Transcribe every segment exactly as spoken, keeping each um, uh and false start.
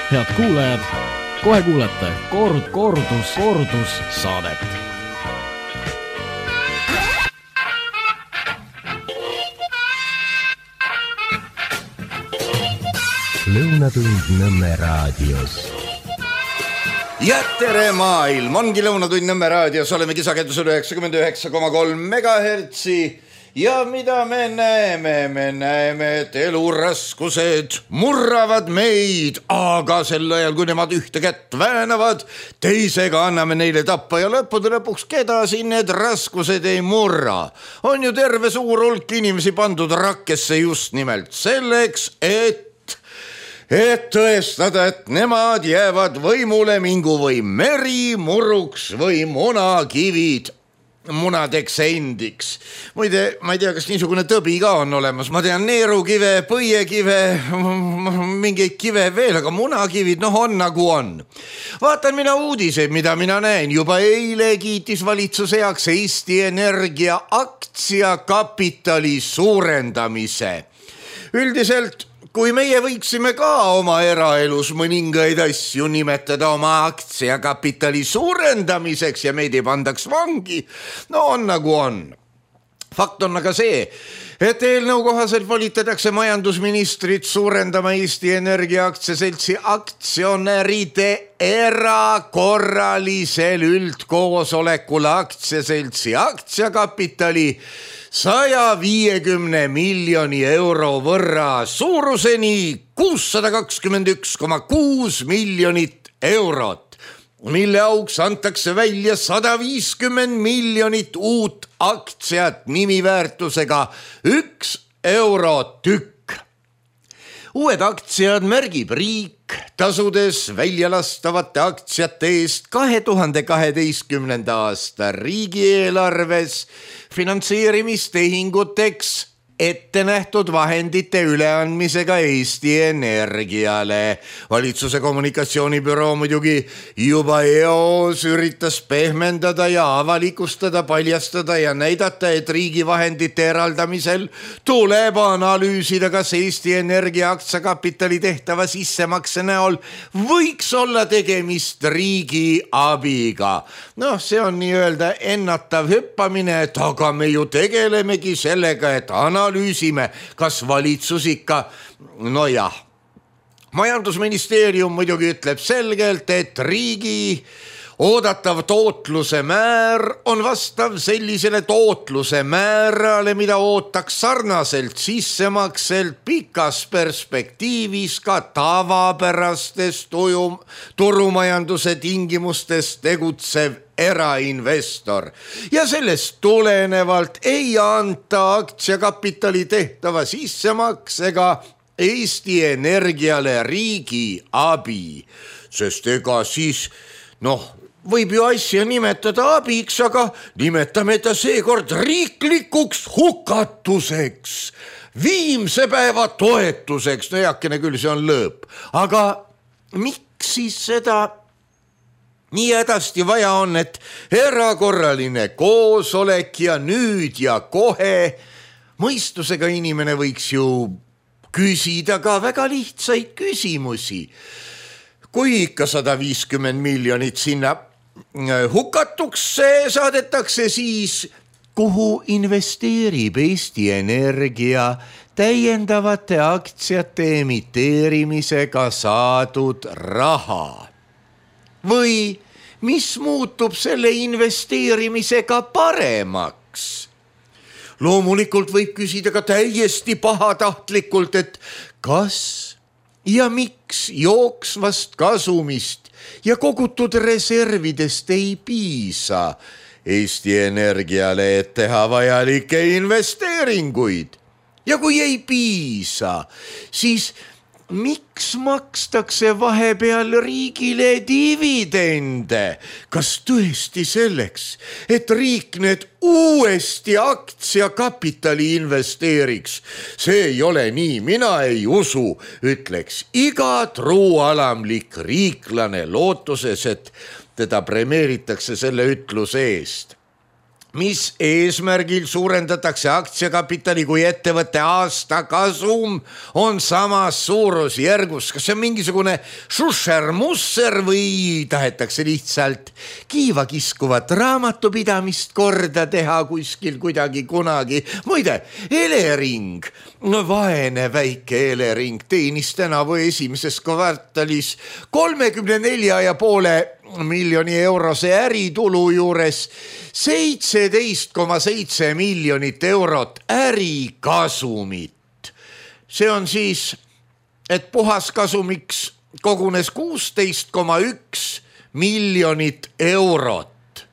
Head kuulajad, kohe kuulete kord, kordus, kordus saadet. Lõunatund Nõmme raadios. Ja tere maailm, ongi Lõunatund Nõmme raadios, oleme kisakendusel üheksakümmend üheksa koma kolm megahertsi ja mida me näeme, me näeme, et eluraskused murravad meid, aga sel ajal, kui nemad ühte kätt väänavad, teisega anname neile tappa ja lõppude lõpuks, keda siin need raskused ei murra. On ju terve suur hulk inimesi pandud rakkesse just nimelt selleks, et et tõestada, et nemad jäävad võimule, mingu või meri, muruks või munakivid munadeks endiks. Muide, ma ei tea, kas niisugune tõbi ka on olemas. Ma tean neerukive, põiekive, mingeid kive veel, aga munakivid, noh on nagu on. Vaatan mina uudiseid, mida mina näen. Juba eile kiitis valitsus heaks Eesti Energia aktsiakapitali suurendamise. Üldiselt kui meie võiksime ka oma eraelus mõningaid asju nimetada oma aktsiakapitali suurendamiseks ja meid ei pandaks vangi, no on nagu on. Fakt on aga see, et eelnõu kohaselt volitatakse majandusministrit suurendama Eesti Energia aktsiaseltsi aktsionäride erakorralisel üldkoosolekul aktsiaseltsi aktsiakapitali saja viiekümne miljoni euro võrra suuruseni kuussada kakskümmend üks koma kuus miljonit eurot, mille auks antakse välja sada viiskümmend miljonit uut aktsiat nimiväärtusega üks euro tükk. Uued aktsiad märgib riik, tasudes väljalastavate aktsiate eest kahe tuhande kaheteistkümnenda aasta riigieelarves finantseerimistehinguteks ette nähtud vahendite üleandmisega Eesti Energiale. Valitsuse kommunikatsioonibüroo muidugi juba eos üritas pehmendada ja avalikustada, paljastada ja näidata, et riigi vahendite eraldamisel tuleb analüüsida, kas Eesti Energia aktsiakapitali tehtava sissemakse näol võiks olla tegemist riigi abiga. Noh, see on nii-öelda ennatav hüppamine, et aga me ju tegelemegi sellega, et analüüsime analüüsime, kas valitsus ikka, no jah. Majandusministeerium muidugi ütleb selgelt, et riigi oodatav tootluse määr on vastav sellisele tootluse määrale, mida ootaks sarnaselt sissemakselt pikas perspektiivis ka tavapärastes tujum, turumajanduse tingimustes tegutsev erainvestor. Ja sellest tulenevalt ei anta aktsiakapitali tehtava sissemaksega Eesti Energiale riigi abi, sest ega siis, noh, võib ju asja nimetada abiks, aga nimetame ta seekord riiklikuks hukatuseks, viimse päeva toetuseks, no jakene küll see on lõõp, aga miks siis seda nii hädasti vaja on, et erakorraline koosolek ja nüüd ja kohe mõistusega inimene võiks ju küsida ka väga lihtsaid küsimusi. Kui ikka sada viiskümmend miljonit sinna hukatuks saadetakse, siis kuhu investeerib Eesti Energia täiendavate aktsiate emiteerimisega saadud raha? Või mis muutub selle investeerimisega paremaks? Loomulikult võib küsida ka täiesti pahatahtlikult, et kas ja miks jooksvast kasumist ja kogutud reservidest ei piisa Eesti Energiale, et teha vajalikke investeeringuid. Ja kui ei piisa, siis miks makstakse vahepeal riigile dividende? Kas tõesti selleks, et riik need uuesti aktsiakapitali investeeriks? See ei ole nii, mina ei usu, ütleks iga truualamlik riiklane lootuses, et teda premeeritakse selle ütluse eest. mis eesmärgil suurendatakse aktsiakapitali, kui ettevõtte aasta kasum on samas suurusjärgus. Kas see on mingisugune šušer-musser või tahetakse lihtsalt kiiva kiskuvat raamatupidamist korda teha kuskil kuidagi kunagi? Muide, Elering, no vaene väike Elering teenis tänavu esimeses kvartalis kolmekümne nelja ja poole miljoni eurose äritulu juures seitseteist koma seitse miljonit eurot ärikasumit. See on siis, et puhaskasumiks kogunes kuusteist koma üks miljonit eurot.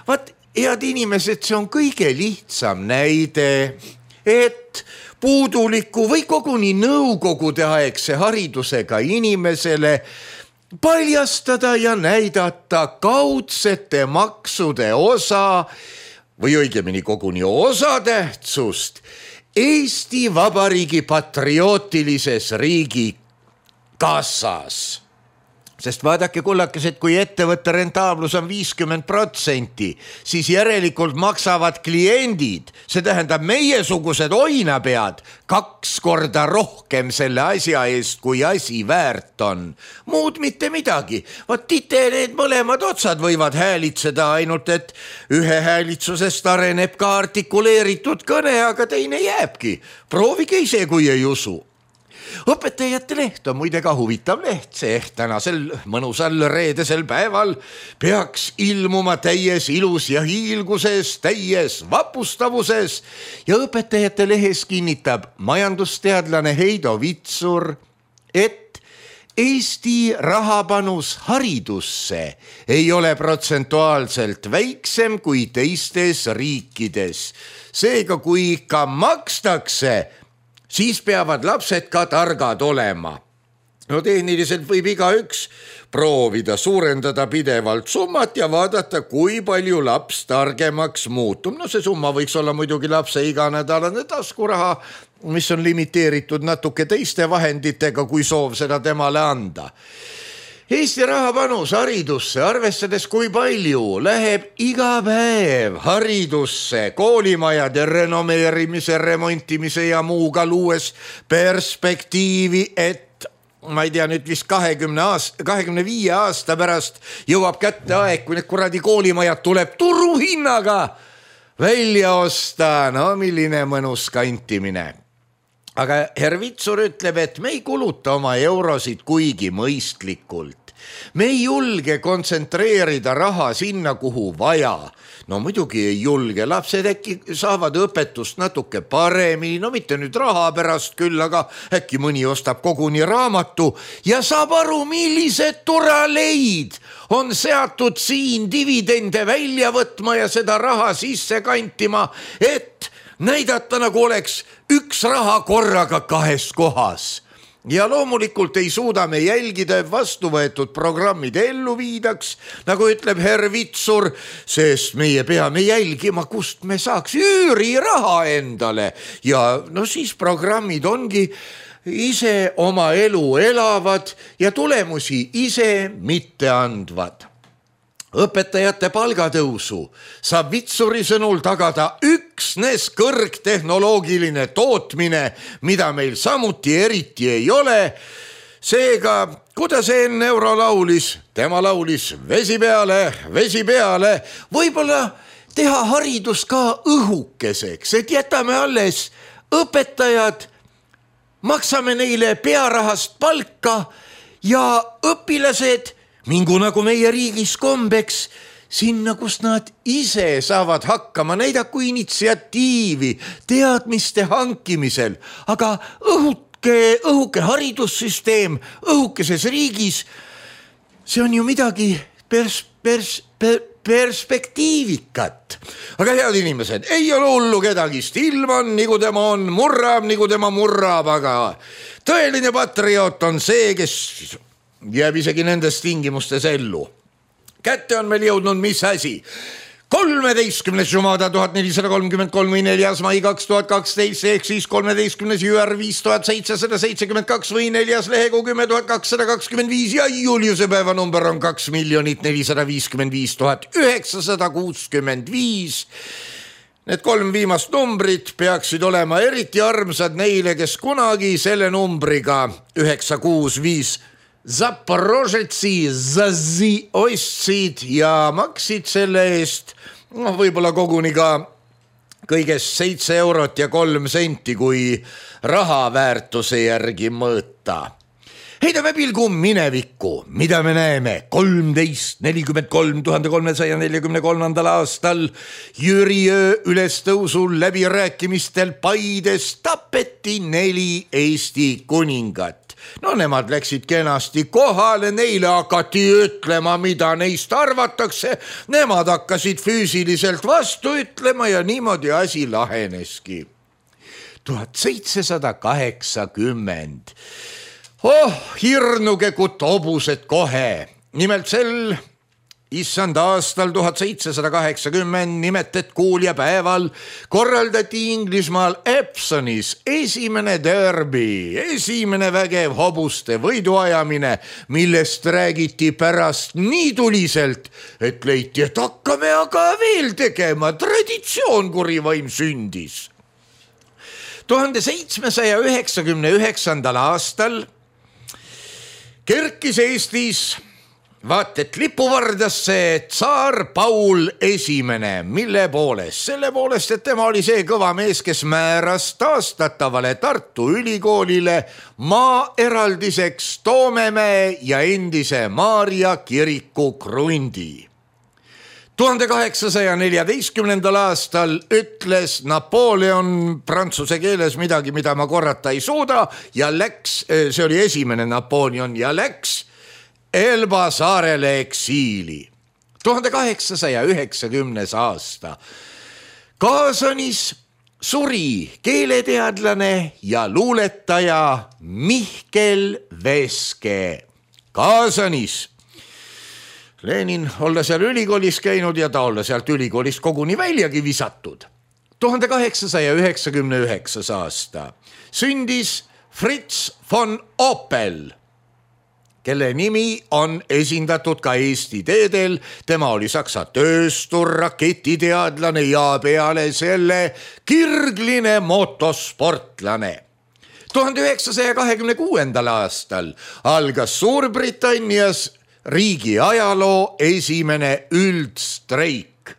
Vaat, head inimesed, see on kõige lihtsam näide, et puuduliku või koguni nõukogude aegse haridusega inimesele paljastada ja näidata kaudsete maksude osa või õigemini koguni osatähtsust Eesti Vabariigi patriootilises riigi kassas. Sest vaadake kullakesed, kui ettevõtte rentaablus on viiskümmend protsenti, siis järelikult maksavad kliendid, see tähendab meiesugused oinapead, kaks korda rohkem selle asja eest, kui asi väärt on. Muud mitte midagi. Vaat tite need mõlemad otsad võivad häälitseda, ainult et ühe häälitsusest areneb ka artikuleeritud kõne, aga teine jääbki. Proovige ise, kui ei usu. Õpetajate leht on muide ka huvitav leht, see tänasel mõnusal reedesel päeval peaks ilmuma täies ilus ja hiilguses, täies vapustavuses ja õpetajate lehes kinnitab majandusteadlane Heido Vitsur, et Eesti rahapanus haridusse ei ole protsentuaalselt väiksem kui teistes riikides. Seega, kui ikka makstakse, siis peavad lapsed ka targad olema. No tehniliselt võib igaüks proovida suurendada pidevalt summat ja vaadata, kui palju laps targemaks muutub. No see summa võiks olla muidugi lapse iganädalane taskuraha, mis on limiteeritud natuke teiste vahenditega, kui soov seda temale anda. Eesti rahapanus haridusse, arvestades kui palju läheb iga päev haridusse, koolimajade renomeerimise, remontimise ja muuga luues perspektiivi, et ma ei tea, nüüd vist kahekümne aasta, kahekümne viie aasta pärast jõuab kätte aeg, kui need kuradi koolimajad tuleb turuhinnaga välja osta. No milline mõnus kantimine. Aga herr Vitsur ütleb, et me ei kuluta oma eurosid kuigi mõistlikult. Me ei julge kontsentreerida raha sinna, kuhu vaja. No muidugi ei julge, lapsed äkki saavad õpetust natuke paremini, no mitte nüüd raha pärast küll, aga äkki mõni ostab koguni raamatu ja saab aru, millised turaleid on seatud siin dividende välja võtma ja seda raha sisse kantima, et näidata, nagu oleks üks raha korraga kahes kohas. Ja loomulikult ei suuda me jälgida vastu võetud programmid ellu viidaks, nagu ütleb herr Vitsur, sest meie peame jälgima, kust me saaks üüriraha endale. Ja no siis programmid ongi ise oma elu elavad ja tulemusi ise mitte andvad. Õpetajate palgatõusu saab Vitsuri sõnul tagada üksnes kõrgtehnoloogiline tootmine, mida meil samuti eriti ei ole. Seega, kuidas enne euro laulis, tema laulis vesi peale, vesi peale, võib-olla teha haridus ka õhukeseks, et jätame alles õpetajad, maksame neile pearahast palka ja õpilased mingu nagu meie riigis kombeks sinna, kus nad ise saavad hakkama, näidaku initsiatiivi teadmiste hankimisel, aga õhuke, õhuke haridussüsteem õhukeses riigis, see on ju midagi pers, pers, per, perspektiivikat. Aga head inimesed, ei ole hullu kedagi, ilm on, nagu tema on, murrab, nagu tema murrab, aga tõeline patrioot on see, kes jääb isegi nendes tingimustes ellu. Kätte on meil jõudnud mis asi? kolmeteistkümnes Jumada tuhat nelisada kolmkümmend kolm või neljas mai kaks tuhat kaksteist ehk siis kolmeteistkümnes Jüär viis tuhat seitsesada seitsekümmend kaks või neljas lehekuu kümme tuhat kakssada kakskümmend viis ja Juliuse päeva number on kaks miljonit nelisada viiskümmend viis tuhat üheksasada kuuskümmend viis. Need kolm viimast numbrit peaksid olema eriti armsad neile, kes kunagi selle numbriga üheksa kuus viis Zaporožetsi Zazi ostsid ja maksid selle eest no, võib-olla koguni ka kõigest seitse eurot ja kolm senti, kui raha väärtuse järgi mõõta. Heidame pilgu minevikku, mida me näeme kolmteist nelikümmend kolm tuhande kolmesaja neljakümne kolmandal aastal Jüri öö ülestõusul läbirääkimistel Paides tapeti neli Eesti kuningat. No nemad läksid kenasti kohale, neile hakati ütlema, mida neist arvatakse, nemad hakkasid füüsiliselt vastu ütlema ja niimoodi asi laheneski. tuhat seitsesada kaheksakümmend. Oh, hirnugekut hobused kohe. Nimelt sel issand aastal tuhat seitsesada kaheksakümmend nimetet kuulja päeval korraldati Inglismaal Epsonis esimene derbi, esimene vägev hobuste võiduajamine, millest räägiti pärast nii tuliselt, et leiti, et hakkame aga veel tegema, traditsioon kurivaim sündis. tuhande seitsmesaja üheksakümne üheksandal aastal kerkis Eestis vaat et lipuvardasse tsaar Paul esimene, mille poolest? Selle poolest, et tema oli see kõva mees, kes määras taastatavale Tartu Ülikoolile maa eraldiseks Toomemäe ja endise Maarja kiriku krundi. tuhande kaheksasaja neljateistkümnendal aastal ütles Napoleon prantsuse keeles midagi, mida ma korrata ei suuda ja läks, see oli esimene Napoleon ja läks Elba saarele eksiili. tuhande kaheksasaja üheksakümnes aasta. Kaasanis suri keeleteadlane ja luuletaja Mihkel Veske. Kaasanis. Lenin olla seal ülikoolis käinud ja ta olla sealt ülikoolist koguni väljagi visatud. tuhande kaheksasaja üheksakümne üheksas aasta. Sündis Fritz von Opel, kelle nimi on esindatud ka Eesti teedel. Tema oli saksa tööstur, raketiteadlane ja peale selle kirgline motosportlane. tuhande üheksasaja kahekümne kuuendal aastal algas Suurbritannias riigi ajaloo esimene üldstreik.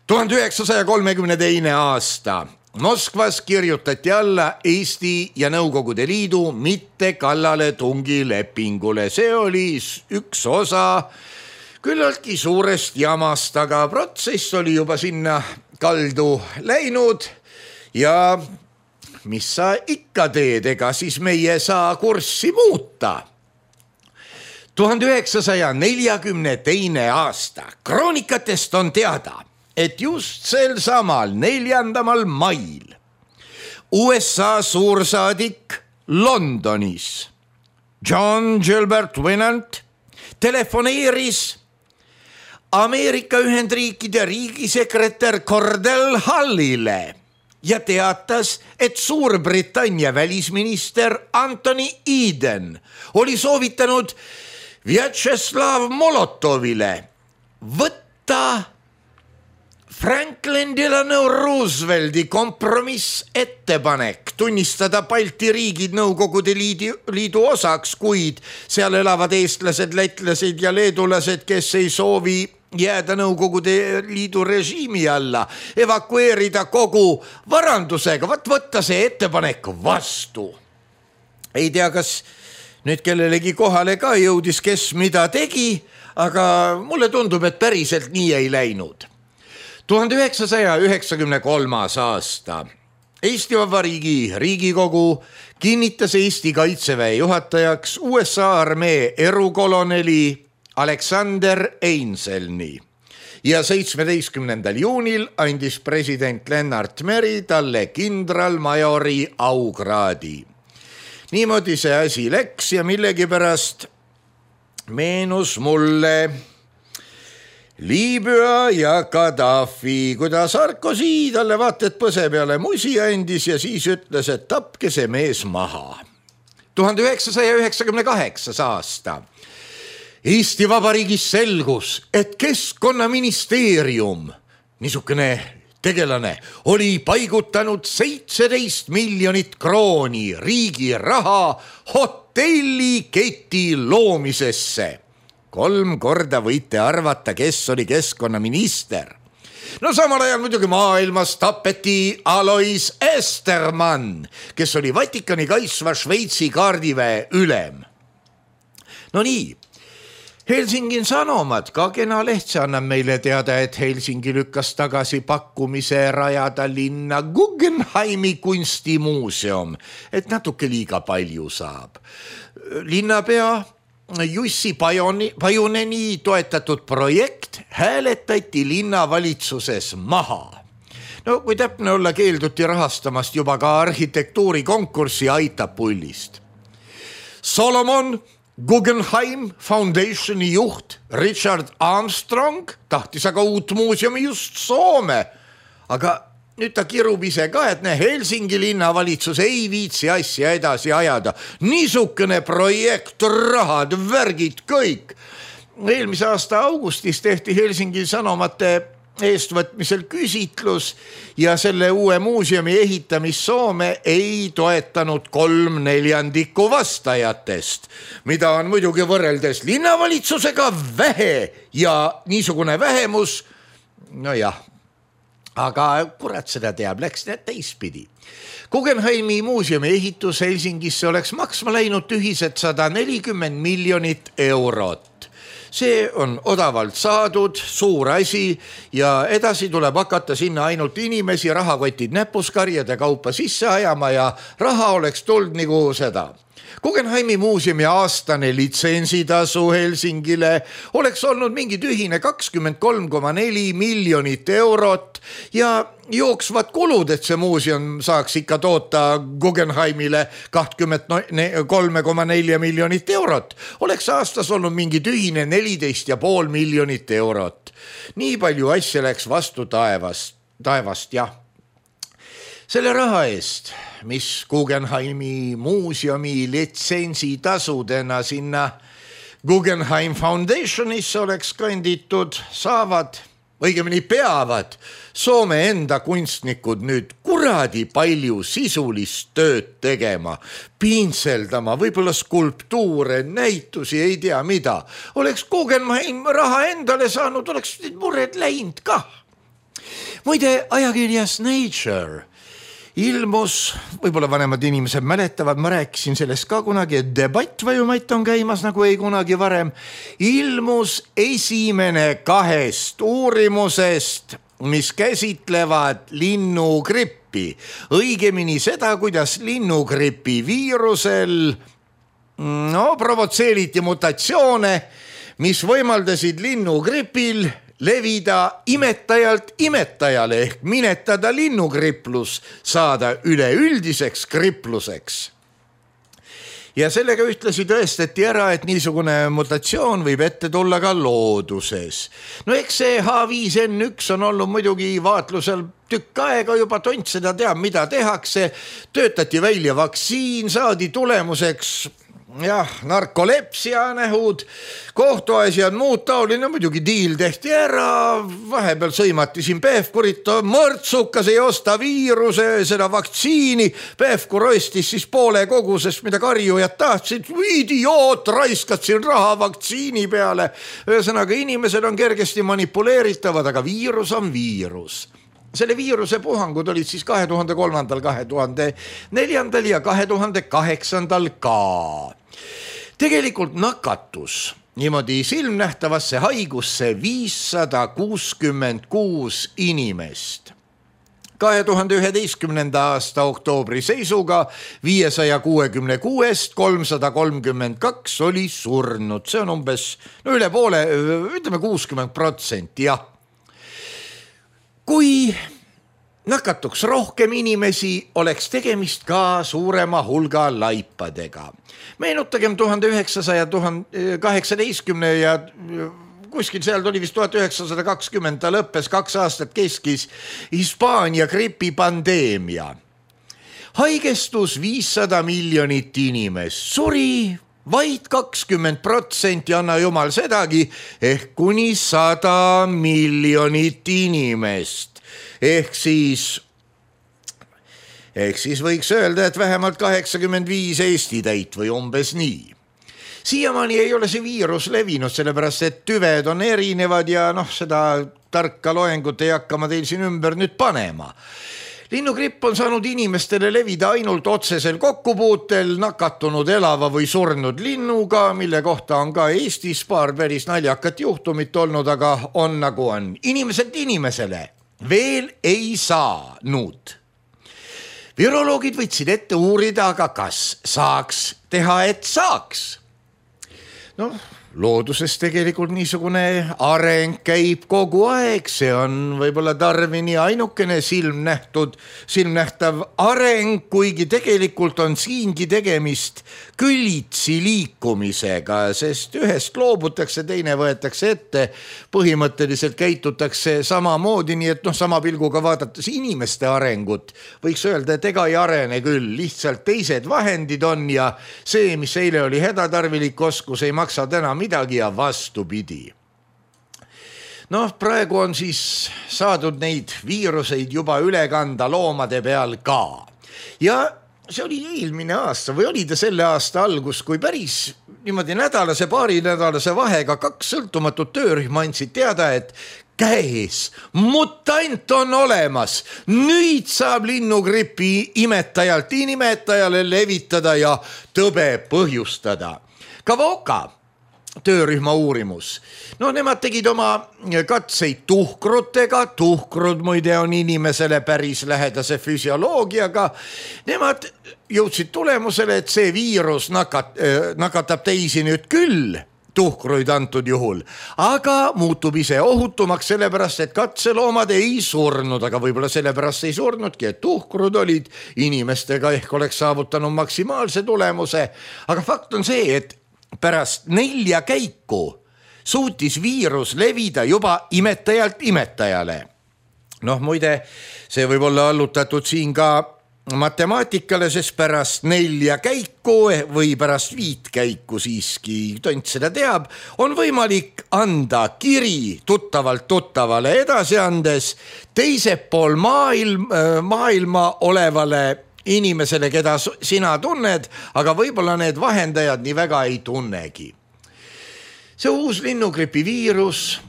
tuhande üheksasaja kolmekümne teine aasta. Moskvas kirjutati alla Eesti ja Nõukogude Liidu mitte kallaletungi lepingule. See oli üks osa küllaltki suurest jamast, aga protsess oli juba sinna kaldu läinud ja mis sa ikka teed, ega siis meie saa kurssi muuta. tuhande üheksasaja neljakümne teine aasta. Kroonikatest on teada, et just sel samal neljandamal mail U S A suursaadik Londonis John Gilbert Winant telefoneeris Ameerika Ühendriikide riigisekretär Cordell Hullile ja teatas, et Suurbritannia välisminister Anthony Eden oli soovitanud Vjatšeslav Molotovile võtta Franklin Delano Roosevelti kompromiss ettepanek tunnistada Balti riigid Nõukogude liidu, liidu osaks, kuid seal elavad eestlased, lätlased ja leedulased, kes ei soovi jääda Nõukogude liidu režiimi alla, evakueerida kogu varandusega, võt võtta see ettepanek vastu. Ei tea, kas nüüd kellelegi kohale ka jõudis, kes mida tegi, aga mulle tundub, et päriselt nii ei läinud. tuhande üheksasaja üheksakümne kolmas aasta. Eesti Vabariigi Riigikogu kinnitas Eesti kaitseväe juhatajaks U S A armee erukoloneli Alexander Einselni ja seitsmeteistkümnendal juunil andis president Lennart Meri talle kindralmajori aukraadi. Niimoodi see asi läks ja millegipärast meenus mulle Liibüa ja Gaddafi, kuidas Sarkozy talle vaata, et põse peale musi andis ja siis ütles, et tapke see mees maha. tuhande üheksasaja üheksakümne kaheksas aasta. Eesti Vabariigis selgus, et Keskkonnaministeerium, niisugune tegelane, oli paigutanud seitseteist miljonit krooni riigi raha hotelliketi loomisesse. Kolm korda võite arvata, kes oli keskkonnaminister. No samal ajal muidugi maailmas tapeti Alois Estermann, kes oli Vatikani kaitsva Šveitsi kaardiväe ülem. No nii, Helsingin Sanomat, ka kena leht, see annab meile teada, et Helsingi lükkas tagasi pakkumise rajada linna Guggenheimi kunstimuuseum, et natuke liiga palju saab. Linnapea Jussi Pajoni, Pajuneni toetatud projekt hääletati linnavalitsuses maha. No kui täpne olla, keelduti rahastamast juba ka arhitektuurikonkurssi aitab pullist. Solomon Guggenheim Foundationi juht Richard Armstrong tahtis aga uut muuseumi just Soome, aga nüüd ta kirub ise ka, et ne Helsingi linnavalitsus ei viitsi asja edasi ajada. Niisugune projekt, rahad, värgid, kõik. Eelmise aasta augustis tehti Helsingi Sanomate eestvõtmisel küsitlus ja selle uue muuseumi ehitamist Soome ei toetanud kolm neljandikku vastajatest, mida on muidugi võrreldes linnavalitsusega vähe ja niisugune vähemus, no jah, aga kurat seda teab, läks need teispidi. Guggenheimi muuseumi ehitus Helsingisse oleks maksma läinud ühiselt sada nelikümmend miljonit eurot. See on odavalt saadud, suur asi ja edasi tuleb hakata sinna ainult inimesi rahakotid näpuskarjade kaupa sisse ajama ja raha oleks tulnud nagu seda. Guggenheimi muuseumi aastane litsentsitasu Helsingile oleks olnud mingi tühine kakskümmend kolm koma neli miljonit eurot ja jooksvad kulud, et see muuseum saaks ikka toota Guggenheimile kakskümmend kolm koma neli miljonit eurot. Oleks aastas olnud mingi tühine neliteist ja pool miljonit eurot. Nii palju asja läks vastu taevast, taevast jah. Selle raha eest, mis Guggenheimi muuseumi litsentsitasudena sinna Guggenheim Foundationisse oleks kanditud, saavad, õigemini peavad Soome enda kunstnikud nüüd kuradi palju sisulist tööd tegema, piintseldama, võib-olla skulptuure, näitusi, ei tea mida. Oleks Guggenheim raha endale saanud, oleks mured läinud ka. Muide, ajakirjas Nature ilmus, võib-olla vanemad inimesed mäletavad, ma rääkisin sellest ka kunagi, et debatt vajumait on käimas nagu ei kunagi varem, ilmus esimene kahest uurimusest, mis käsitlevad linnugrippi. Õigemini seda, kuidas linnugripi viirusel no, provotseeriti mutatsioone, mis võimaldasid linnugripil levida imetajalt imetajale ehk minetada linnugriplus, saada üleüldiseks gripluseks. Ja sellega ühtlasi tõestati ära, et niisugune mutatsioon võib ette tulla ka looduses. No eks see H viis N üks on olnud muidugi vaatlusel tükk aega juba, tont seda teab, mida tehakse. Töötati välja vaktsiin, saadi tulemuseks jah, narkolepsia nähud, kohtuasjad, muud taoline, muidugi diil tehti ära, vahepeal sõimati siin Pevkurit, mõrtsukas ei osta viiruse, seda vaktsiini, Pevkur ostis siis poole kogusest, mida karjujad tahtsid, idioot, raiskad siin raha vaktsiini peale, ühesõnaga inimesed on kergesti manipuleeritavad, aga viirus on viirus. Selle viiruse puhangud olid siis kahe tuhande kolmandal, kahe tuhande neljandal ja kahe tuhande kaheksandal ka. Tegelikult nakatus niimoodi silmnähtavasse haigusse viissada kuuskümmend kuus inimest. kahe tuhande üheteistkümnenda aasta oktoobri seisuga viiesaja kuuekümne kuuest kolmsada kolmkümmend kaks oli surnud. See on umbes no üle poole, ütleme kuuskümmend protsenti, jah. Kui nakatuks rohkem inimesi, oleks tegemist ka suurema hulga laipadega. Meenutagem tuhande üheksasaja kaheksateistkümne ja kuskil seal tuli vist tuhat üheksasada kakskümmend, ta lõppes, kaks aastat keskis Hispaania gripipandeemia. Haigestus viissada miljonit inimest, suri vaid kakskümmend protsenti, anna jumal sedagi, ehk kuni sada miljonit inimest. Ehk siis, ehk siis võiks öelda, et vähemalt kaheksakümmend viis Eesti täit või umbes nii. Siiamaani ei ole see viirus levinud, sellepärast et tüved on erinevad ja noh, seda tarka loengut ei hakka ma teil siin ümber nüüd panema. Linnugripp on saanud inimestele levida ainult otsesel kokkupuutel nakatunud elava või surnud linnuga, mille kohta on ka Eestis paar päris naljakat juhtumit olnud, aga on nagu on. Inimeselt inimesele veel ei saanud. Viroloogid võtsid ette uurida, aga kas saaks teha, et saaks? Noh, looduses tegelikult niisugune areng käib kogu aeg, see on võib-olla Darwini ainukene silmnähtud, silmnähtav areng, kuigi tegelikult on siingi tegemist külitsi liikumisega, sest ühest loobutakse, teine võetakse ette, põhimõtteliselt käitutakse samamoodi, nii et noh, sama pilguga vaadates inimeste arengut, võiks öelda, et ega ei arene küll, lihtsalt teised vahendid on ja see, mis eile oli hädatarvilik oskus, ei maksa täna midagi ja vastupidi. Noh, praegu on siis saadud neid viiruseid juba üle kanda loomade peal ka. Ja see oli eelmine aasta või oli ta selle aasta algus, kui päris niimoodi nädalase, paari nädalase vahega kaks sõltumatut töörühma andsid teada, et käes, mutant on olemas, nüüd saab linnugripi imetajalt inimetajale levitada ja tõbe põhjustada. Kavoka töörühma uurimus. No nemad tegid oma katseid tuhkrutega, tuhkrud muide on inimesele päris lähedase füsioloogiaga. Nemad jõudsid tulemusele, et see viirus nakat, nakatab teisi nüüd küll, tuhkruid antud juhul, aga muutub ise ohutumaks sellepärast, et katseloomad ei surnud, aga võib-olla sellepärast ei surnudki, et tuhkrud olid inimestega ehk oleks saavutanud maksimaalse tulemuse, aga fakt on see, et pärast nelja käiku suutis viirus levida juba imetajalt imetajale. Noh, muide, see võib olla allutatud siin ka matemaatikale, sest pärast nelja käiku või pärast viit käiku siiski, tont seda teab, on võimalik anda kiri tuttavalt tuttavale edasi andes teise pool maailm, maailma olevale inimesele, keda sina tunned, aga võib-olla need vahendajad nii väga ei tunnegi. See uus linnugripi viirus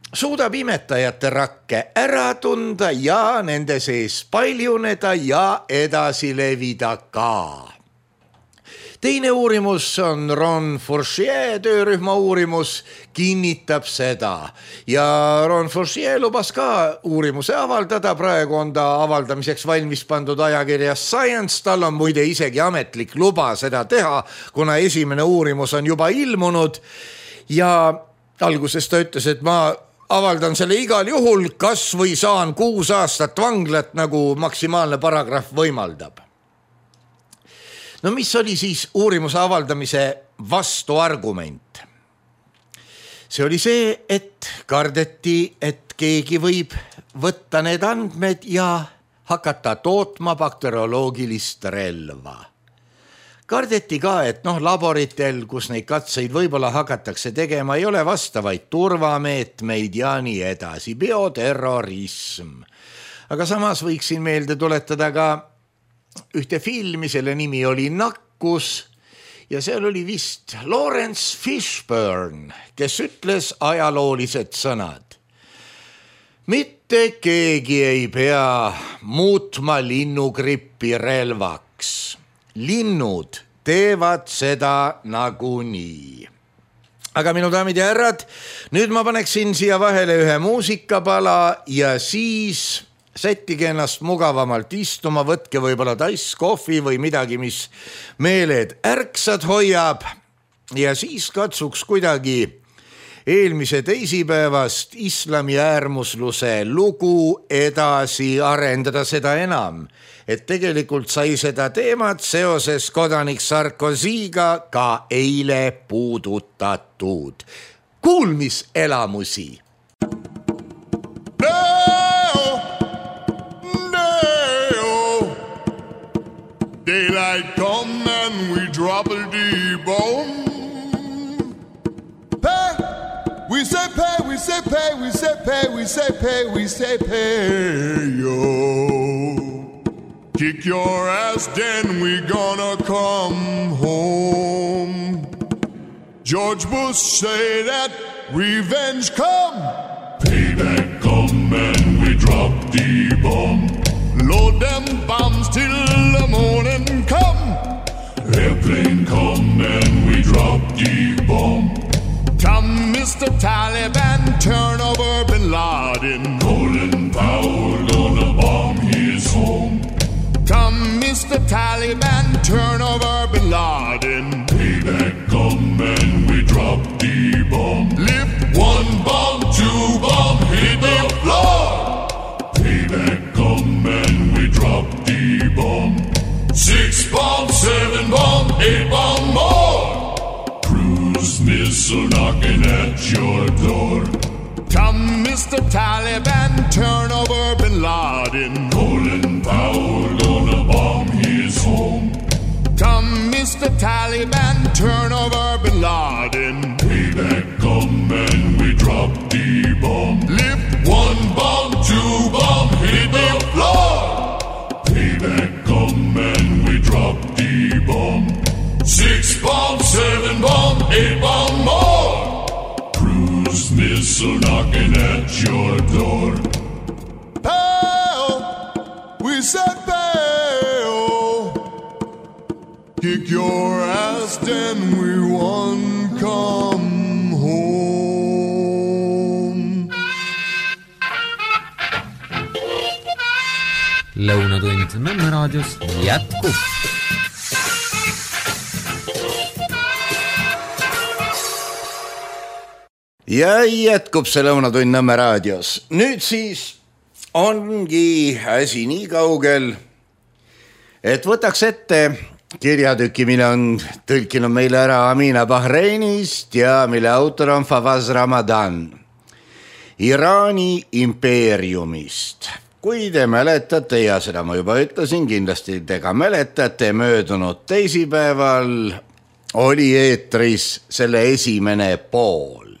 suudab imetajate rakke ära tunda ja nende sees paljuneda ja edasi levida ka. Teine uurimus on Ron Fourchier töörühma uurimus, kinnitab seda. Ja Ron Fourchier lubas ka uurimuse avaldada, praegu on ta avaldamiseks valmis pandud ajakirjas Science, tal on muide isegi ametlik luba seda teha, kuna esimene uurimus on juba ilmunud. Ja alguses ta ütles, et ma avaldan selle igal juhul, kas või saan kuus aastat vanglat, nagu maksimaalne paragrahv võimaldab. No mis oli siis uurimuse avaldamise vastuargument? See oli see, et kardeti, et keegi võib võtta need andmed ja hakata tootma bakterioloogilist relva. Kardeti ka, et noh, laboritel, kus neid katseid võib-olla hakatakse tegema, ei ole vastavaid turvameetmeid ja nii edasi, bioterrorism. Aga samas võiksin meelde tuletada ka ühte filmi, selle nimi oli Nakkus ja seal oli vist Lawrence Fishburne, kes ütles ajaloolised sõnad. Mitte keegi ei pea muutma linnugrippi relvaks. Linnud teevad seda nagunii. Aga minu daamid ja härrad, nüüd ma paneksin siia vahele ühe muusikapala ja siis sättige ennast mugavamalt istuma, võtke võib-olla tass kohvi või midagi, mis meeled ärksad hoiab ja siis katsuks kuidagi eelmise teisipäevast islami äärmusluse lugu edasi arendada, seda enam, et tegelikult sai seda teemat seoses kodanik Sarkozyga ka eile puudutatud. kuulmiselamusi. Daylight come and we drop a D-bomb. Pay, we say pay, we say pay, we say pay, we say pay, we say pay, yo. Kick your ass, then we gonna come home. George Bush say that revenge come. Payback come and we drop D-bomb. Load them bombs till the morning come. Airplane come and we drop D-bomb. Come, Mister Taliban, turn over Bin Laden. Colin Powell gonna bomb his home. Come, Mister Taliban, turn over Bin Laden. Payback come and we drop D-bomb. Lift one bomb, two bomb, hit the floor. Payback come and we drop D-bomb. Six bomb, seven bomb, eight bomb more. Cruise missile knocking at your door. Come, Mister Taliban, turn over Bin Laden. Colin Powell gonna bomb his home. Come, Mister Taliban, turn over Bin Laden. Payback come and we drop D-bomb. Lift one bomb, two bomb, hit the floor. Payback come and we drop D-bomb. Six bomb, seven bomb, eight bomb more. Cruise missile knocking at your door. Pow! We said pow! Kick your ass, then we won come home. Lõunatund Nõmme raadios jätkub. Ja jätkub see Lõunatund Nõmme raadios. Nüüd siis ongi asi nii kaugel, et võtaks ette kirjatüki, mille on tõlkinud meile ära Amina Bahreinist ja mille autor on Fawaz Ramadan Iraani impeeriumist. Kui te mäletate, ja seda ma juba ütlesin, kindlasti te ka mäletate, möödunud teisipäeval oli eetris selle esimene pool.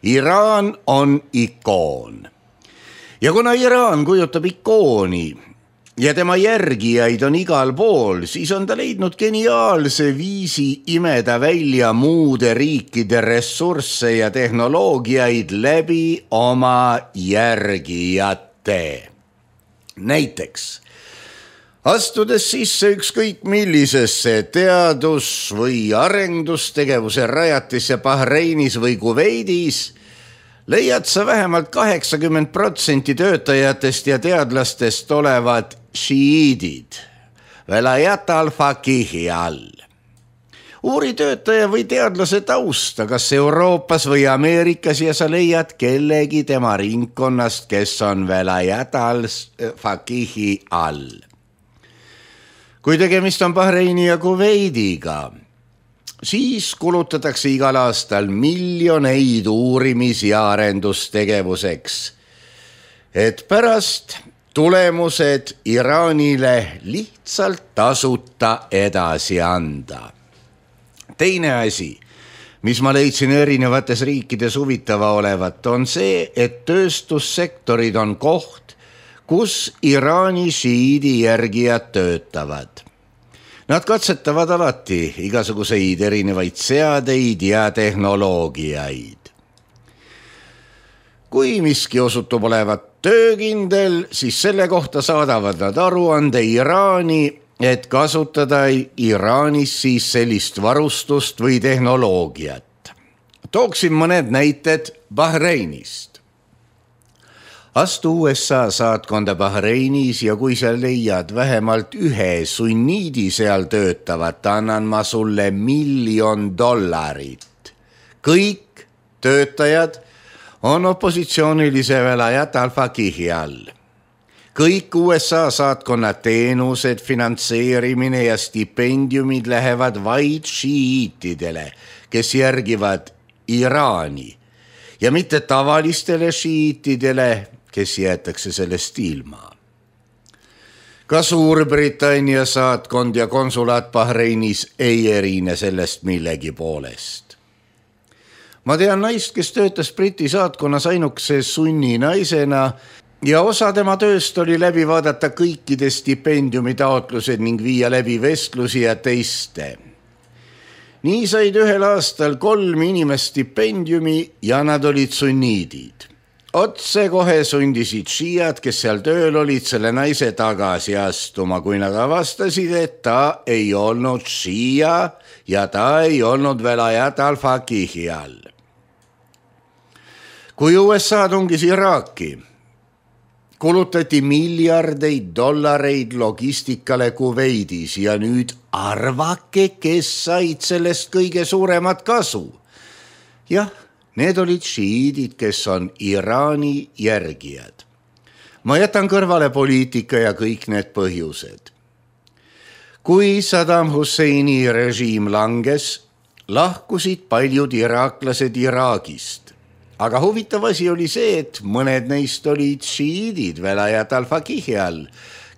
Iraan on ikoon. Ja kuna Iraan kujutab ikooni ja tema järgijaid on igal pool, siis on ta leidnud geniaalse viisi imeda välja muude riikide ressursse ja tehnoloogiaid läbi oma järgijate. Näiteks, astudes sisse ükskõik millisesse teadus- või arendustegevuse rajatisse Bahreinis või Kuveidis, leiad sa vähemalt kaheksakümmend protsenti töötajatest ja teadlastest olevat šiiidid, velayat al-fakihi all. Uuri töötaja või teadlase tausta, kas Euroopas või Ameerikas, ja sa leiad kellegi tema ringkonnast, kes on velayat al-fakihi all. Kui tegemist on Bahreini ja Kuveidiga, siis kulutatakse igal aastal miljoneid uurimis- ja arendustegevuseks, et pärast tulemused Iraanile lihtsalt tasuta edasi anda. Teine asi, mis ma leidsin erinevates riikides huvitava olevat, on see, et tööstussektorid on koht, kus Iraani šiidi järgijad töötavad. Nad katsetavad alati igasuguseid erinevaid seadeid ja tehnoloogiaid. Kui miski osutub olevat töökindel, siis selle kohta saadavad nad aruande Iraani, et kasutada Iraanis siis sellist varustust või tehnoloogiat. Tooksin mõned näited Bahreinist. Astu U S A saatkonda Bahreinis ja kui sa leiad vähemalt ühe sunniidi seal töötavat, annan ma sulle miljon dollarit. Kõik töötajad on opositsioonilise velayat al-fakihi all. Kõik U S A saatkonna teenused, finantseerimine ja stipendiumid lähevad vaid šiiitidele, kes järgivad Iraani ja mitte tavalistele šiitidele, kes jäetakse sellest ilma. Ka Suurbritannia saatkond ja konsulaat Bahreinis ei erine sellest millegi poolest. Ma tean naist, kes töötas Briti saatkonnas ainukese sunni naisena ja osa tema tööst oli läbi vaadata kõikide stipendiumi taotlused ning viia läbi vestlusi ja teiste. Nii said ühel aastal kolm inimest stipendiumi ja nad olid sunniidid. Otse kohe sundisid šiiad, kes seal tööl olid, selle naise tagasi astuma, kui nad avastasid, et ta ei olnud šiia ja ta ei olnud veel ajat al-Fakihi all. Kui U S A tungis Iraaki, kulutati miljardeid dollareid logistikale Kuveidis ja nüüd arvake, kes said sellest kõige suuremat kasu. Jah, need olid šiidid, kes on Iraani järgijad. Ma jätan kõrvale poliitika ja kõik need põhjused. Kui Saddam Husseini režiim langes, lahkusid paljud iraaklased Iraagist. Aga huvitav asi oli see, et mõned neist olid šiidid velayat al-Fakihi all,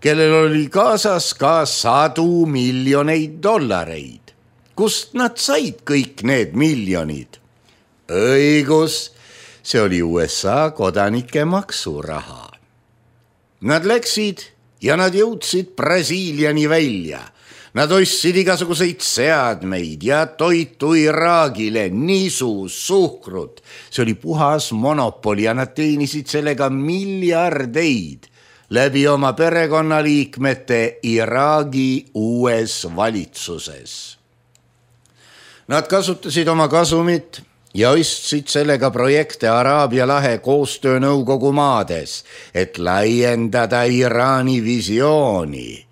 kellel oli kaasas ka sadu miljoneid dollareid. Kust nad said kõik need miljonid? Õigus, see oli U S A kodanike maksuraha. Nad läksid ja nad jõudsid Brasiiliani välja. Nad ostsid igasuguseid seadmeid ja toitu Iraagile, nisu, suhkrut. See oli puhas monopoli ja nad teenisid sellega miljardeid läbi oma perekonnaliikmete Iraagi uues valitsuses. Nad kasutasid oma kasumit ja ostsid sellega projekte Araabia lahe koostöönõukogu maades, et laiendada Iraani visiooni.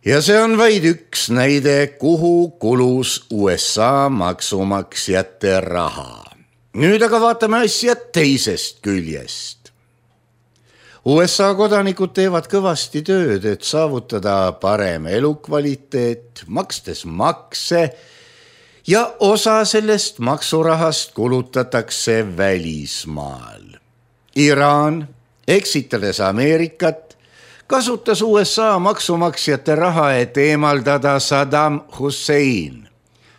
Ja see on vaid üks näide, kuhu kulus U S A maksumaksjate raha. Nüüd aga vaatame asja teisest küljest. U S A kodanikud teevad kõvasti tööd, et saavutada parem elukvaliteet, makstes makse, ja osa sellest maksurahast kulutatakse välismaal. Iraan, eksitades Ameerikat, kasutas U S A maksumaksjate raha, et eemaldada Saddam Hussein.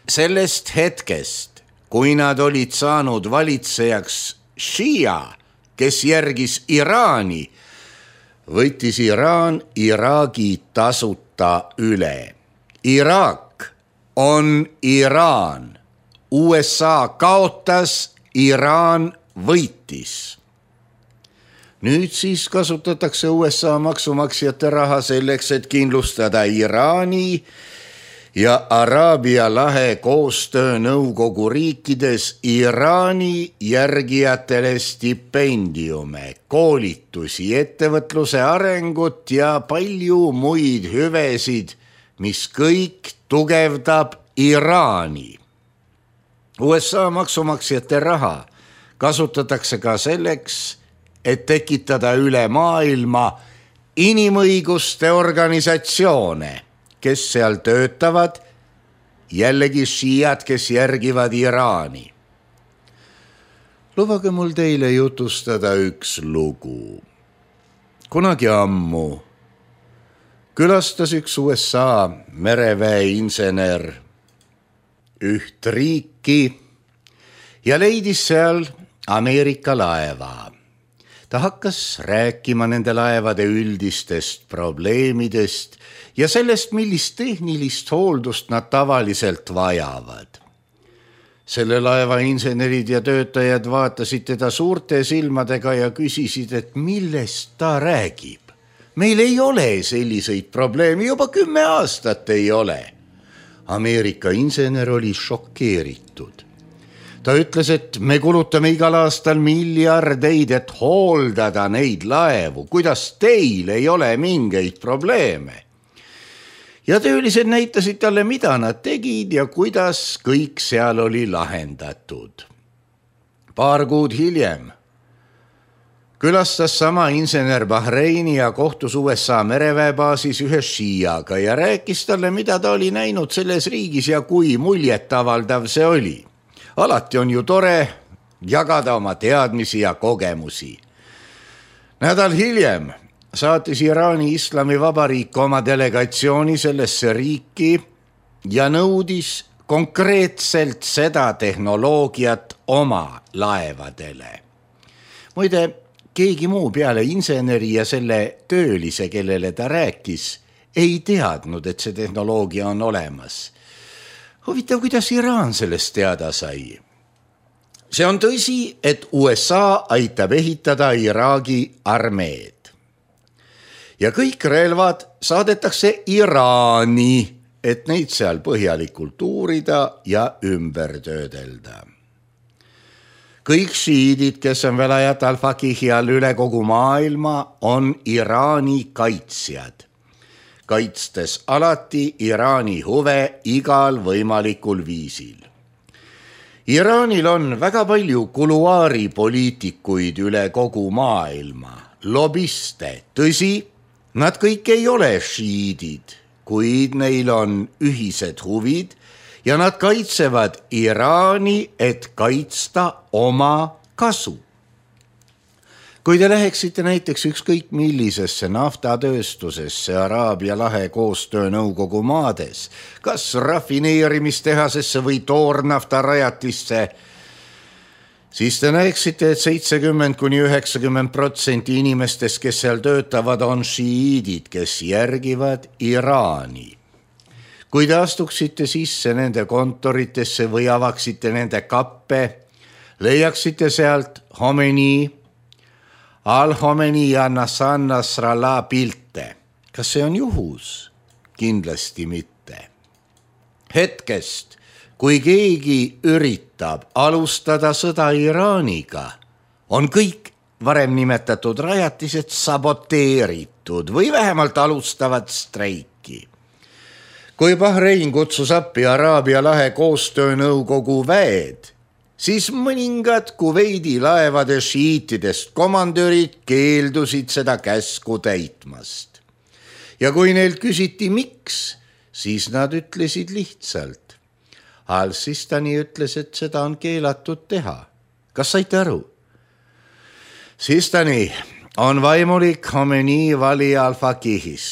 Sellest hetkest, kui nad olid saanud valitsejaks šiia, kes järgis Iraani, võttis Iraan Iraagi tasuta üle. Iraak on Iraan. U S A kaotas, Iraan võitis. Nüüd siis kasutatakse U S A maksumaksjate raha selleks, et kindlustada Iraani ja Araabia lahe koostöönõukogu riikides Iraani järgijatele stipendiume, koolitusi, ettevõtluse arengut ja palju muid hüvesid, mis kõik tugevdab Iraani. U S A maksumaksjate raha kasutatakse ka selleks, et tekitada üle maailma inimõiguste organisatsioone, kes seal töötavad, jällegi šiiad, kes järgivad Iraani. Lubage mul teile jutustada üks lugu. Kunagi ammu külastas üks U S A mereväe insener üht riiki ja leidis seal Ameerika laeva. Ta hakkas rääkima nende laevade üldistest probleemidest ja sellest, millist tehnilist hooldust nad tavaliselt vajavad. Selle laeva insenerid ja töötajad vaatasid teda suurte silmadega ja küsisid, et millest ta räägib. Meil ei ole selliseid probleeme, juba kümme aastat ei ole. Ameerika insener oli šokeeritud. Ta ütles, et me kulutame igal aastal miljardeid, et hooldada neid laevu. Kuidas teil ei ole mingeid probleeme? Ja töölised näitasid talle, mida nad tegid ja kuidas kõik seal oli lahendatud. Paar kuud hiljem külastas sama insener Bahreini ja kohtus U S A mereväebaasis ühe šiiaga ja rääkis talle, mida ta oli näinud selles riigis ja kui muljetavaldav see oli. alati on ju tore jagada oma teadmisi ja kogemusi. Nädal hiljem saatis Iraani Islamivabariik oma delegatsiooni sellesse riiki ja nõudis konkreetselt seda tehnoloogiat oma laevadele. Muide, keegi muu peale inseneri ja selle töölise, kellele ta rääkis, ei teadnud, et see tehnoloogia on olemas. Huvitav, kuidas Iraan sellest teada sai? See on tõsi, et U S A aitab ehitada Iraagi armeed. Ja kõik relvad saadetakse Iraani, et neid seal põhjalikult uurida ja ümber töödelda. Kõik šiidid, kes on Velayat al-Faqihi all üle kogu maailma, on Iraani kaitsjad, kaitstes alati Iraani huve igal võimalikul viisil. Iraanil on väga palju kuluaaripoliitikuid üle kogu maailma, lobiste, tõsi, nad kõik ei ole šiidid, kuid neil on ühised huvid ja nad kaitsevad Iraani, et kaitsta oma kasu. Kui te läheksite näiteks ükskõik millisesse naftatööstusesse Araabia lahe koostöönõukogu maades, kas rafineerimistehasesse või toornaftarajatisse, siis te näeksite, et seitsekümmend kuni üheksakümmend protsenti inimestest, kes seal töötavad, on šiidid, kes järgivad Iraani. Kui te astuksite sisse nende kontoritesse või avaksite nende kappe, leiaksite sealt Khomeini, Al-Khomeini ja Hassan Nasrallah pilte. Kas see on juhus? Kindlasti mitte. Hetkest, kui keegi üritab alustada sõda Iraaniga, on kõik varem nimetatud rajatised saboteeritud või vähemalt alustavad streiki. Kui Bahrein kutsus appi Araabia lahe koostöönõukogu väed, siis mõningad Kuveidi laevade šiitidest komandörid keeldusid seda käsku täitmast. Ja kui neilt küsiti miks, siis nad ütlesid lihtsalt. Al-Sistani ütles, et seda on keelatud teha. Kas saite aru? Sistani on vaimulik Khomeini Vali al-Faqihis.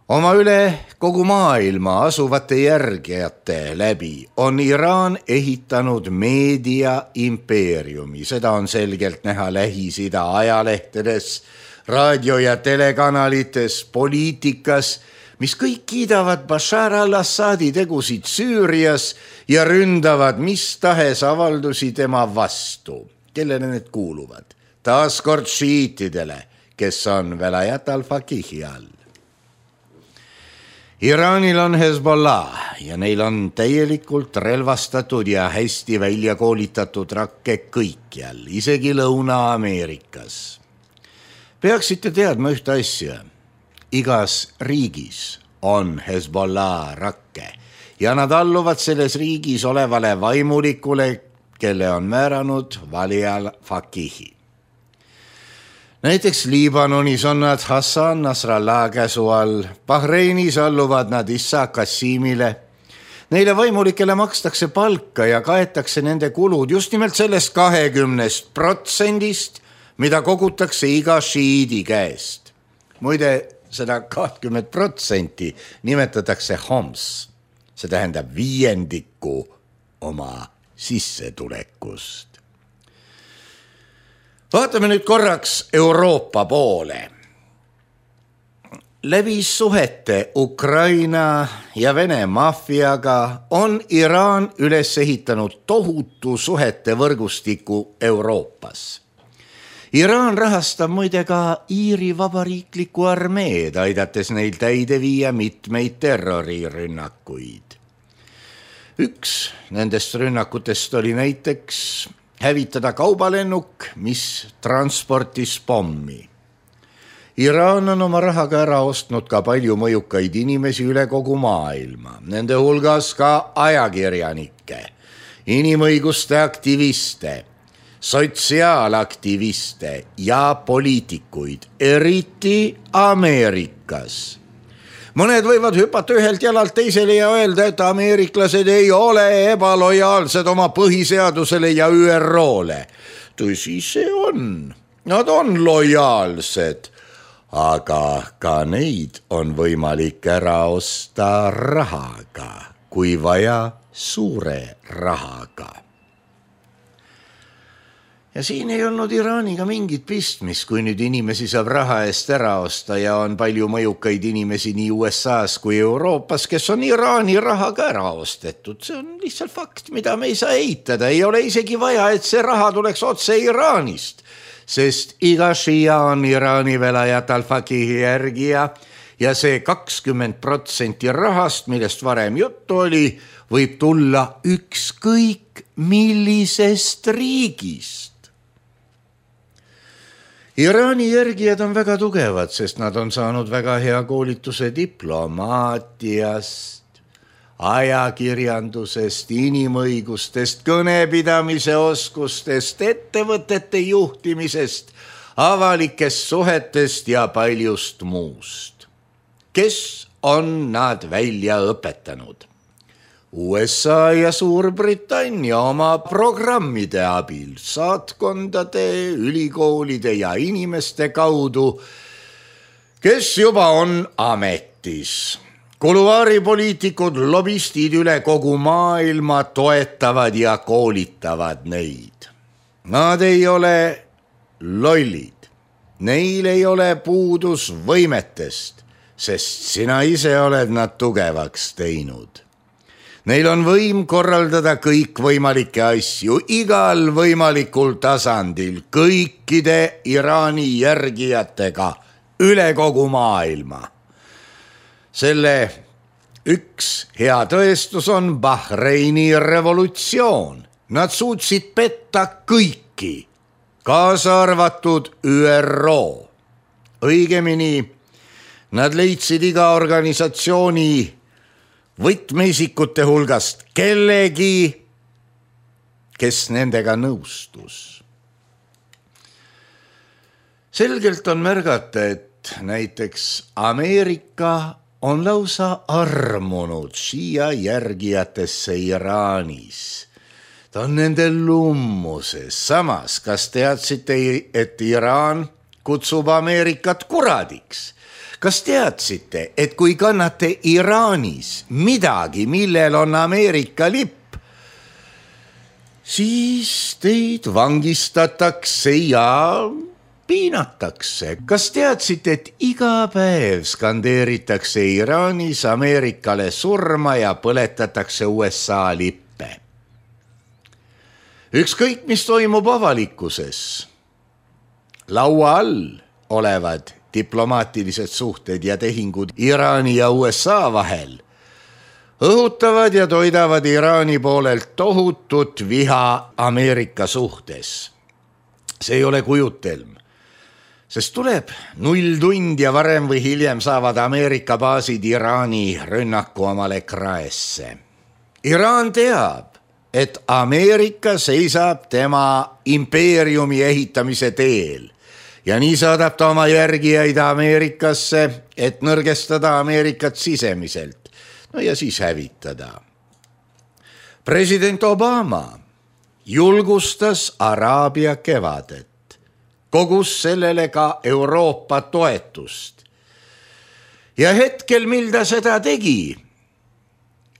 Oma üle kogu maailma asuvate järgijate läbi on Iraan ehitanud meedia impeeriumi. Seda on selgelt näha Lähis-Ida ajalehtedes, raadio- ja telekanalites, poliitikas, mis kõik kiidavad Bashar al-Assadi tegusid Süürias ja ründavad mis tahes avaldusi tema vastu. Kellele need kuuluvad? Taaskord šiitidele, kes on Velayat al-Faqihi all. Iraanil on Hezbollah ja neil on täielikult relvastatud ja hästi välja koolitatud rakke kõikjal, isegi Lõuna-Ameerikas. Peaksite teadma ühte asja. Igas riigis on Hezbollah rakke ja nad alluvad selles riigis olevale vaimulikule, kelle on määranud Vali al-Faqihi. Näiteks Liibanonis on nad Hassan Nasrallah käsu all, Bahreinis alluvad nad Issa Kassimile. Neile vaimulikele makstakse palka ja kaetakse nende kulud just nimelt sellest kahekümnest protsendist, mida kogutakse iga šiidi käest. Muide, seda kakskümmend protsenti nimetatakse homs, see tähendab viiendiku oma sissetulekust. Vaatame nüüd korraks Euroopa poole. Läbi suhete Ukraina ja Vene maffiaga on Iraan üles ehitanud tohutu suhete võrgustiku Euroopas. Iraan rahastab muide ka Iiri vabariikliku armeed, aidates neil täide viia mitmeid terrorirünnakuid. Üks nendest rünnakutest oli näiteks hävitada kaubalennuk, mis transportis pommi. Iraan on oma rahaga ära ostnud ka palju mõjukaid inimesi üle kogu maailma, nende hulgas ka ajakirjanikke, inimõiguste aktiviste, sotsiaalaktiviste ja poliitikuid, eriti Ameerikas. mõned võivad hüpata ühelt jalalt teisele ja öelda, et ameeriklased ei ole ebalojaalsed oma põhiseadusele ja Ü R O-le. Tõsi see on, nad on lojaalsed, aga ka neid on võimalik ära osta rahaga, kui vaja suure rahaga. Ja siin ei olnud Iraaniga mingit pistmist, kui nüüd inimesi saab raha eest ära osta ja on palju mõjukaid inimesi nii U S A-s kui Euroopas, kes on Iraani rahaga ära ostetud. See on lihtsalt fakt, mida me ei saa eitada. Ei ole isegi vaja, et see raha tuleks otse Iraanist, sest iga šia on Iraani velajat al-Fakihi järgija ja see kakskümmend protsenti rahast, millest varem juttu oli, võib tulla ükskõik millisest riigist. Iraani järgijad on väga tugevad, sest nad on saanud väga hea koolituse diplomaatiast, ajakirjandusest, inimõigustest, kõnepidamise oskustest, ettevõtete juhtimisest, avalikest suhetest ja paljust muust. Kes on nad välja õpetanud? U S A ja Suurbritannia oma programmide abil, saatkondade, ülikoolide ja inimeste kaudu, kes juba on ametis. Kuluaaripoliitikud, lobistid üle kogu maailma toetavad ja koolitavad neid. Nad ei ole lollid, neil ei ole puudus võimetest, sest sina ise oled nad tugevaks teinud. Neil on võim korraldada kõik võimalikke asju igal võimalikul tasandil, kõikide Iraani järgijatega üle kogu maailma. Selle üks hea tõestus on Bahreini revolutsioon. Nad suutsid petta kõiki, kaasa arvatud Ü R O. Õigemini, nad leidsid iga organisatsiooni võtmeisikute hulgast kellegi, kes nendega nõustus. Selgelt on märgata, et näiteks Ameerika on lausa armunud šia järgijatesse Iraanis. Ta on nende lummuses. Samas, kas teadsite, et Iraan kutsub Ameerikat kuradiks? Kas teadsite, et kui kannate Iraanis midagi, millel on Ameerika lipp, siis teid vangistatakse ja piinatakse? Kas teadsite, et iga päev skandeeritakse Iraanis Ameerikale surma ja põletatakse U S A lippe? Ükskõik, mis toimub avalikkuses, laua all olevad diplomaatilised suhted ja tehingud Iraani ja U S A vahel õhutavad ja toidavad Iraani poolelt tohutut viha Ameerika suhtes. See ei ole kujutelm, sest tuleb null tund ja varem või hiljem saavad Ameerika baasid Iraani rünnaku omale kraesse. Iraan teab, et Ameerika seisab tema impeeriumi ehitamise teel. Ja nii saadab ta oma järgijaid Ameerikasse, et nõrgestada Ameerikat sisemiselt, no ja siis hävitada. President Obama julgustas Araabia kevadet, kogus sellele ka Euroopa toetust. Ja hetkel, mil ta seda tegi,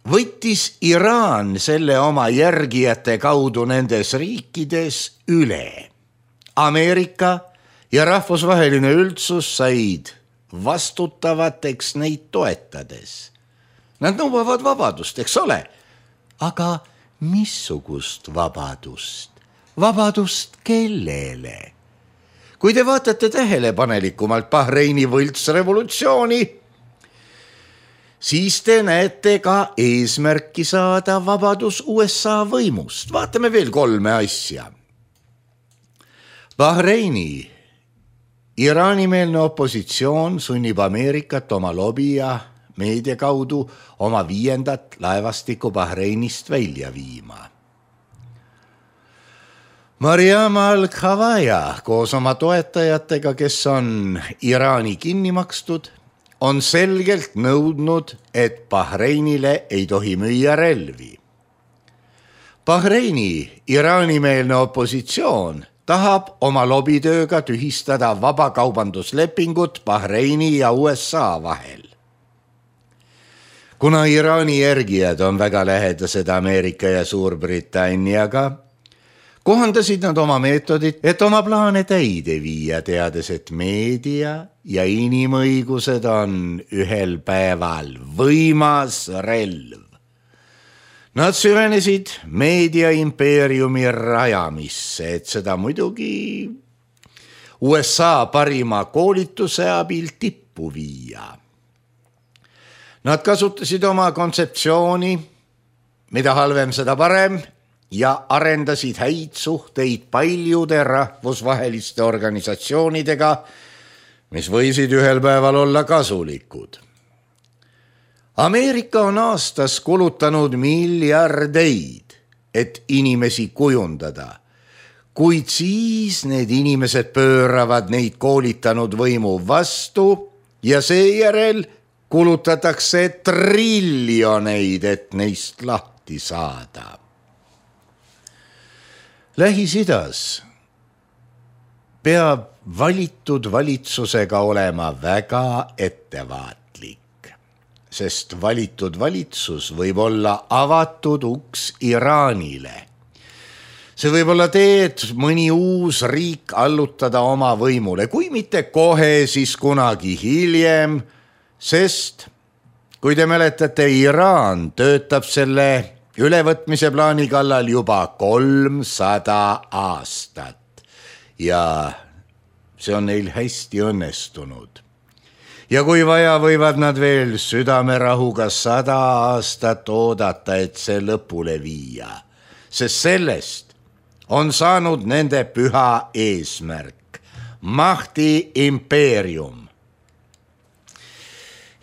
võttis Iraan selle oma järgijate kaudu nendes riikides üle. Ameerika ja rahvusvaheline üldsus said vastutavateks neid toetades. Nad nõuavad vabadust, eks ole? Aga missugust vabadust? Vabadust kellele? Kui te vaatate tähelepanelikumalt Bahreini võltsrevolutsiooni, siis te näete ka eesmärki saada vabadus U S A võimust. Vaatame veel kolme asja. Bahreini Iraani-meelne opositsioon sunnib Ameerikat oma lobi ja meedia kaudu oma viiendat laevastikku Bahreinist välja viima. Mariam al-Khavaja koos oma toetajatega, kes on Iraani kinni makstud, on selgelt nõudnud, et Bahreinile ei tohi müüa relvi. Bahreini Iraani-meelne opositsioon tahab oma lobitööga tühistada vabakaubanduslepingut Bahreini ja U S A vahel. Kuna Iraani järgijad on väga lähedased Ameerika ja Suurbritanniaga, kohandasid nad oma meetodit, et oma plaane täide viia, teades, et meedia ja inimõigused on ühel päeval võimas relv. Nad süvenesid meediaimpeeriumi rajamisse, et seda muidugi U S A parima koolituse abil tippu viia. Nad kasutasid oma kontseptsiooni, mida halvem, seda parem, ja arendasid häid suhteid paljude rahvusvaheliste organisatsioonidega, mis võisid ühel päeval olla kasulikud. Ameerika on aastas kulutanud miljardeid, et inimesi kujundada, kuid siis need inimesed pööravad neid koolitanud võimu vastu ja seejärel kulutatakse triljoneid, et neist lahti saada. Lähis-Idas peab valitud valitsusega olema väga ettevaatlik, sest valitud valitsus võib olla avatud uks Iraanile. See võib olla tee, et mõni uus riik allutada oma võimule, kui mitte kohe, siis kunagi hiljem, sest kui te mäletate, Iraan töötab selle ülevõtmise plaani kallal juba kolmsada aastat ja see on neil hästi õnnestunud. Ja kui vaja, võivad nad veel südamerahuga sada aastat oodata, et see lõpule viia, sest sellest on saanud nende püha eesmärk, Mahdi impeerium.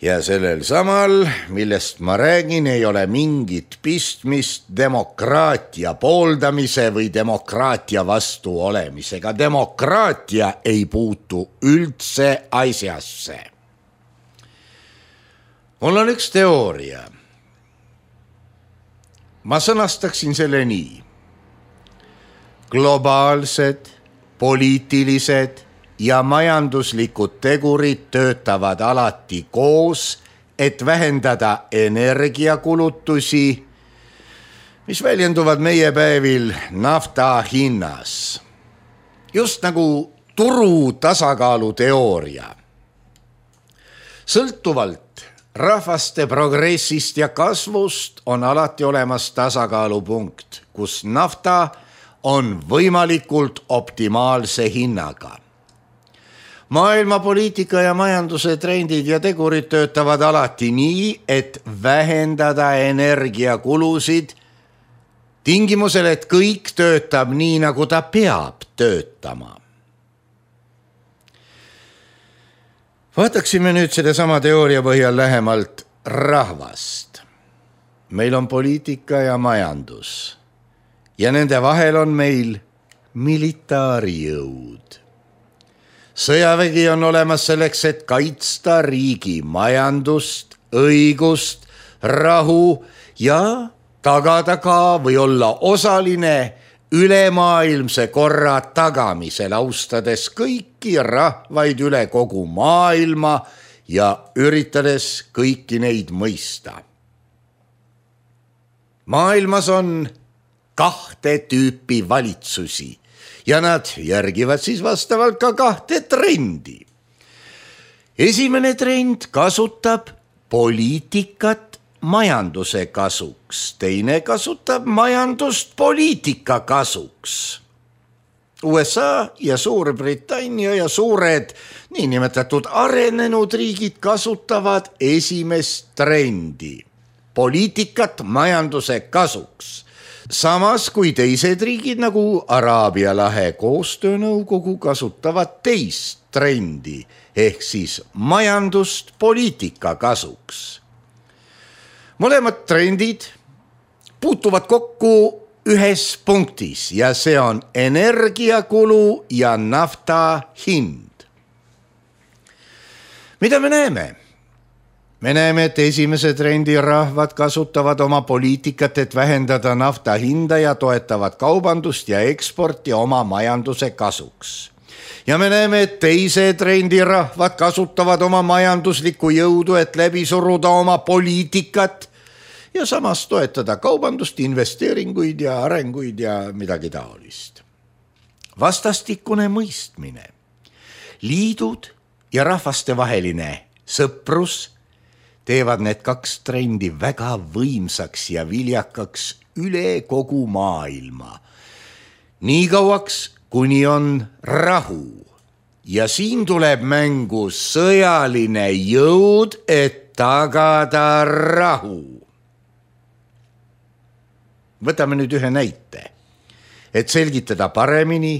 Ja sellel samal, millest ma räägin, ei ole mingit pistmist demokraatia pooldamise või demokraatia vastu olemisega. Demokraatia ei puutu üldse asjasse. Mul on üks teooria. Ma sõnastaksin selle nii. Globaalsed, poliitilised ja majanduslikud tegurid töötavad alati koos, et vähendada energiakulutusi, mis väljenduvad meie päevil nafta hinnas. Just nagu turu tasakaalu teooria. Sõltuvalt rahvaste progressist ja kasvust on alati olemas tasakaalupunkt, kus nafta on võimalikult optimaalse hinnaga. Maailma poliitika ja majanduse trendid ja tegurid töötavad alati nii, et vähendada energiakulusid tingimusel, et kõik töötab nii, nagu ta peab töötama. Vaataksime nüüd selle sama teooria põhjal lähemalt rahvast. Meil on poliitika ja majandus ja nende vahel on meil militaarijõud. Sõjavägi on olemas selleks, et kaitsta riigi majandust, õigust, rahu ja tagada ka või olla osaline ülemaailmse korra tagamisel, austades kõiki rahvaid üle kogu maailma ja üritades kõiki neid mõista. Maailmas on kahte tüüpi valitsusi ja nad järgivad siis vastavalt ka kahte trendi. Esimene trend kasutab poliitikat majanduse kasuks, teine kasutab majandust poliitika kasuks. U S A ja Suurbritannia ja suured niinimetatud arenenud riigid kasutavad esimest trendi, poliitikat majanduse kasuks. Samas kui teised riigid nagu Araabia lahe koostöönõukogu kasutavad teist trendi ehk siis majandust poliitika kasuks. Mõlemad trendid puutuvad kokku ühes punktis ja see on energiakulu ja nafta hind. Mida me näeme? me näeme, et esimese trendi rahvad kasutavad oma poliitikat, et vähendada nafta hinda ja toetavad kaubandust ja eksporti oma majanduse kasuks. Ja me näeme, et teise trendi rahvad kasutavad oma majanduslikku jõudu, et läbi suruda oma poliitikat ja samas toetada kaubandust, investeeringuid ja arenguid ja midagi taolist. Vastastikune mõistmine, liidud ja rahvastevaheline sõprus teevad need kaks trendi väga võimsaks ja viljakaks üle kogu maailma. Nii kauaks, kuni on rahu. Ja siin tuleb mängu sõjaline jõud, et tagada rahu. Võtame nüüd ühe näite, et selgitada paremini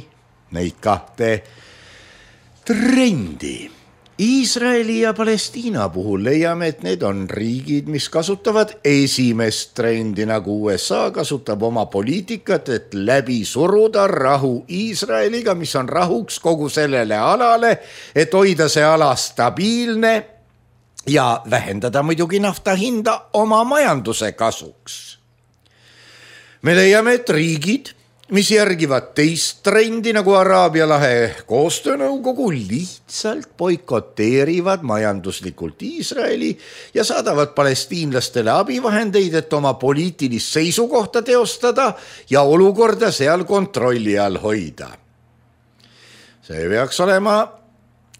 neid kahte trendi. Iisraeli ja Palestiina puhul leiame, et need on riigid, mis kasutavad esimest trendi, nagu U S A kasutab oma poliitikat, et läbi suruda rahu Iisraeliga, mis on rahuks kogu sellele alale, et hoida see ala stabiilne ja vähendada muidugi nafta hinda oma majanduse kasuks. Me leiame, et riigid, mis järgivad teist trendi nagu Araabia lahe koostöönõukogu, lihtsalt boikoteerivad majanduslikult Iisraeli ja saadavad palestiinlastele abivahendeid, et oma poliitilist seisukohta teostada ja olukorda seal kontrolli all hoida. See peaks olema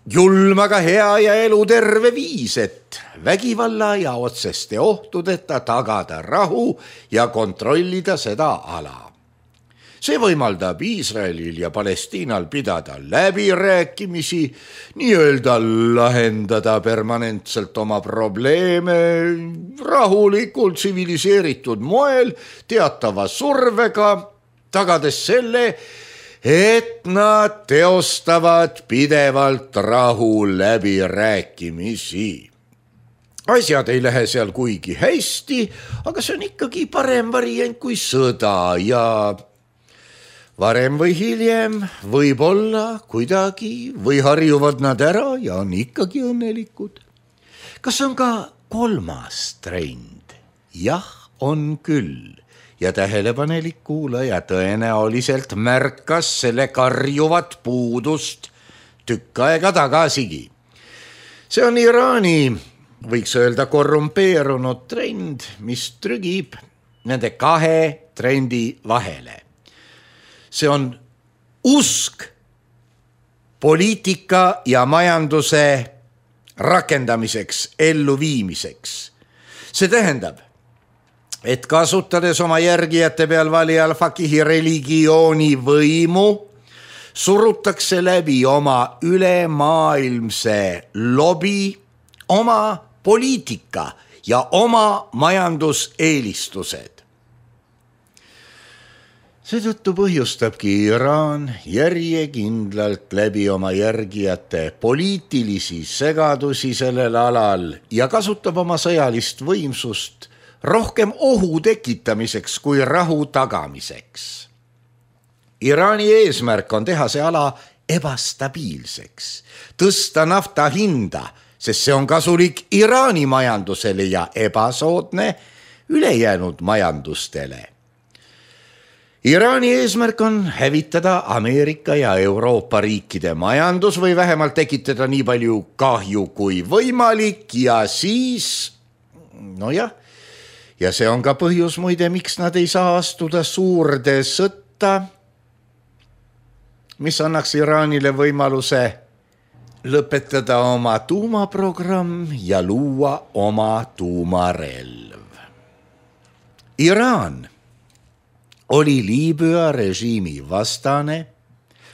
julm, aga hea ja eluterve viis, et vägivalla ja otseste ohtudeta tagada rahu ja kontrollida seda ala. See võimaldab Iisraelil ja Palestiinal pidada läbirääkimisi, nii-öelda lahendada permanentselt oma probleeme rahulikult tsiviliseeritud moel, teatava survega, tagades selle, et nad teostavad pidevalt rahu läbirääkimisi. Asjad ei lähe seal kuigi hästi, aga see on ikkagi parem variant kui sõda ja varem või hiljem võib-olla kuidagi või harjuvad nad ära ja on ikkagi õnnelikud. Kas on ka kolmas trend? Jah, on küll. Ja tähelepanelik kuulaja tõenäoliselt märkas selle karjuvat puudust tükk aega tagasigi. See on Iraani, võiks öelda korrumpeerunud trend, mis trügib nende kahe trendi vahele. See on usk poliitika ja majanduse rakendamiseks, elluviimiseks. See tähendab, et kasutades oma järgijate peal valijal fakihi religiooni võimu, surutakse läbi oma ülemaailmse lobi, oma poliitika ja oma majanduseelistused. Seetõttu põhjustabki Iraan järjekindlalt läbi oma järgijate poliitilisi segadusi sellel alal ja kasutab oma sõjalist võimsust rohkem ohu tekitamiseks kui rahu tagamiseks. Iraani eesmärk on teha see ala ebastabiilseks, tõsta nafta hinda, sest see on kasulik Iraani majandusele ja ebasoodne ülejäänud majandustele. Iraani eesmärk on hävitada Ameerika ja Euroopa riikide majandus või vähemalt tekitada nii palju kahju kui võimalik ja siis, no jah, ja see on ka põhjus muide, miks nad ei saa astuda suurde sõtta, mis annaks Iraanile võimaluse lõpetada oma tuumaprogramm ja luua oma tuumarelv. Iraan oli Liibüa režiimi vastane,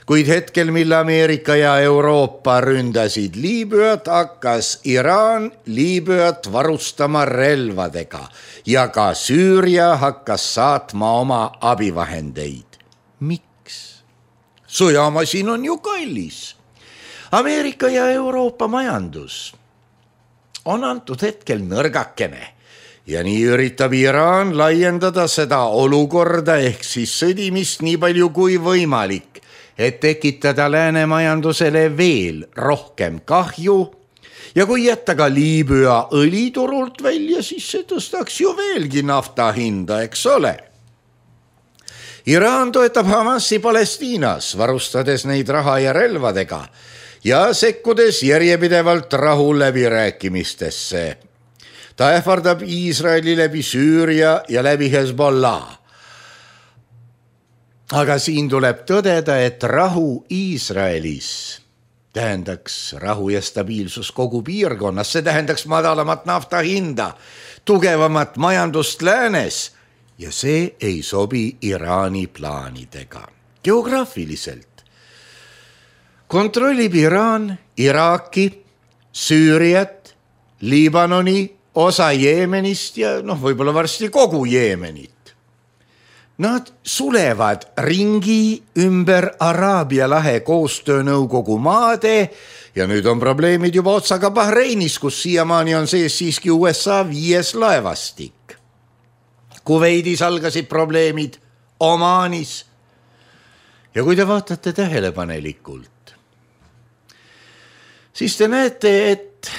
kuid hetkel, mil Ameerika ja Euroopa ründasid Liibüat, hakkas Iraan Liibüat varustama relvadega ja ka Süüria hakkas saatma oma abivahendeid. Miks? Sõjamasin on ju kallis. Ameerika ja Euroopa majandus on antud hetkel nõrgakene. Ja nii üritab Iraan laiendada seda olukorda ehk siis sõdimist nii palju kui võimalik, et tekitada lääne majandusele veel rohkem kahju ja kui jätta ka Liibüa õliturult välja, siis see tõstaks ju veelgi nafta hinda, eks ole. Iraan toetab Hamasi Palestiinas, varustades neid raha ja relvadega ja sekkudes järjepidevalt rahu läbirääkimistesse. Ta ähvardab Iisraeli läbi Süüria ja läbi Hezbollah. Aga siin tuleb tõdeda, et rahu Iisraelis tähendaks rahu ja stabiilsus kogu piirkonnas, see tähendaks madalamat nafta hinda, tugevamat majandust läänes ja see ei sobi Iraani plaanidega. Geograafiliselt kontrollib Iraan Iraaki, Süüriat, Liibanoni, osa Jeemenist ja noh, võib-olla varsti kogu Jeemenit. Nad sulevad ringi ümber Araabia lahe koostöönõukogu maade ja nüüd on probleemid juba otsaga Bahreinis, kus siiamaani on sees siiski U S A viies laevastik. Kuveidis algasid probleemid, Omaanis. Ja kui te vaatate tähelepanelikult, siis te näete, et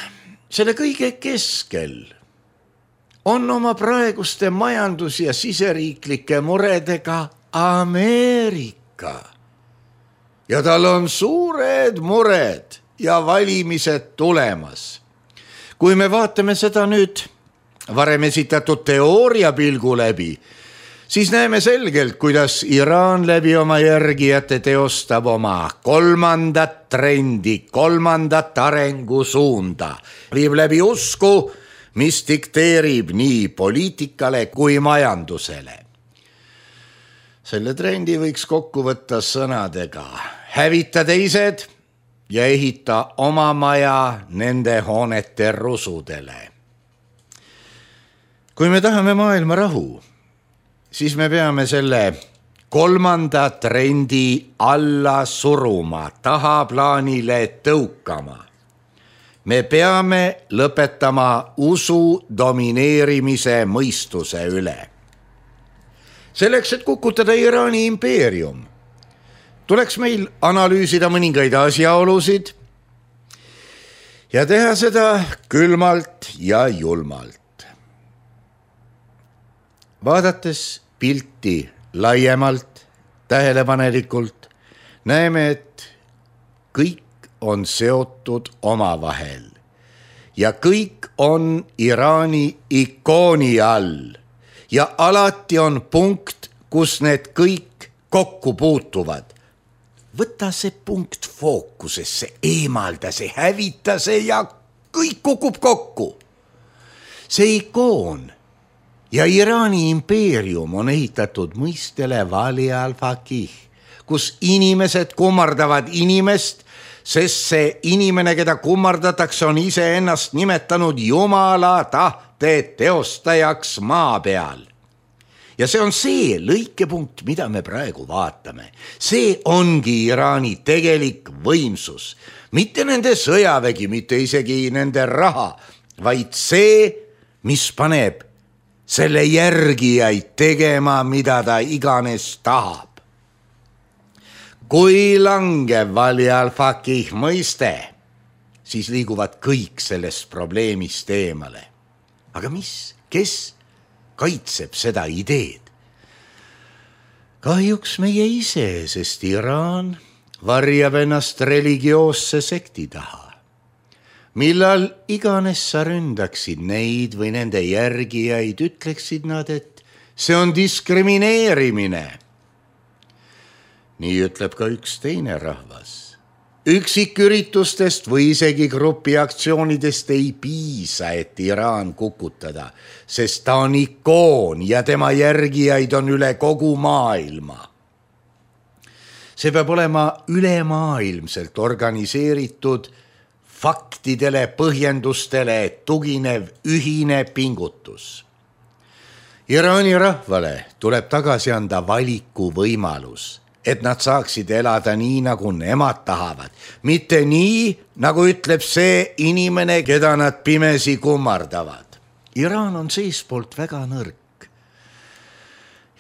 selle kõige keskel on oma praeguste majandus- ja siseriiklike muredega Ameerika. Ja tal on suured mured ja valimised tulemas. Kui me vaatame seda nüüd varem esitatud teooria pilgu läbi, siis näeme selgelt, kuidas Iraan läbi oma järgijate teostab oma kolmandat trendi, kolmandat arengusuunda, viib läbi usku, mis dikteerib nii poliitikale kui majandusele. Selle trendi võiks kokku võtta sõnadega: hävita teised ja ehita oma maja nende hoonete rusudele. Kui me tahame maailma rahu, siis me peame selle kolmanda trendi alla suruma, tahaplaanile tõukama. Me peame lõpetama usu domineerimise mõistuse üle. Selleks, et kukutada Iraani impeerium, tuleks meil analüüsida mõningaid asjaolusid ja teha seda külmalt ja julmalt. Vaadates pilti laiemalt, tähelepanelikult, näeme, et kõik on seotud omavahel ja kõik on Iraani ikooni all ja alati on punkt, kus need kõik kokku puutuvad. Võta see punkt fookusesse, eemalda see, hävita see ja kõik kukub kokku. See ikoon ja Iraani impeerium on ehitatud mõistele Vali al-Faqih, kus inimesed kummardavad inimest, sest see inimene, keda kummardatakse, on ise ennast nimetanud Jumala tahte teostajaks maa peal. Ja see on see lõikepunkt, mida me praegu vaatame. See ongi Iraani tegelik võimsus. Mitte nende sõjavägi, mitte isegi nende raha, vaid see, mis paneb selle järgijaid tegema, mida ta iganes tahab. Kui langeb Vali al-Faqih mõiste, siis liiguvad kõik sellest probleemist eemale. Aga mis, kes kaitseb seda ideed? Kahjuks meie ise, sest Iraan varjab ennast religioosse sekti taha. Millal iganes sa ründaksid neid või nende järgijaid, ütleksid nad, et see on diskrimineerimine. Nii ütleb ka üks teine rahvas. Üksiküritustest või isegi grupi aktsioonidest ei piisa, et Iraan kukutada, sest ta on ikoon ja tema järgijaid on üle kogu maailma. See peab olema ülemaailmselt organiseeritud, faktidele, põhjendustele tuginev ühine pingutus. Iraani rahvale tuleb tagasi anda valiku võimalus, et nad saaksid elada nii, nagu nemad tahavad. Mitte nii, nagu ütleb see inimene, keda nad pimesi kummardavad. Iraan on seespoolt väga nõrk.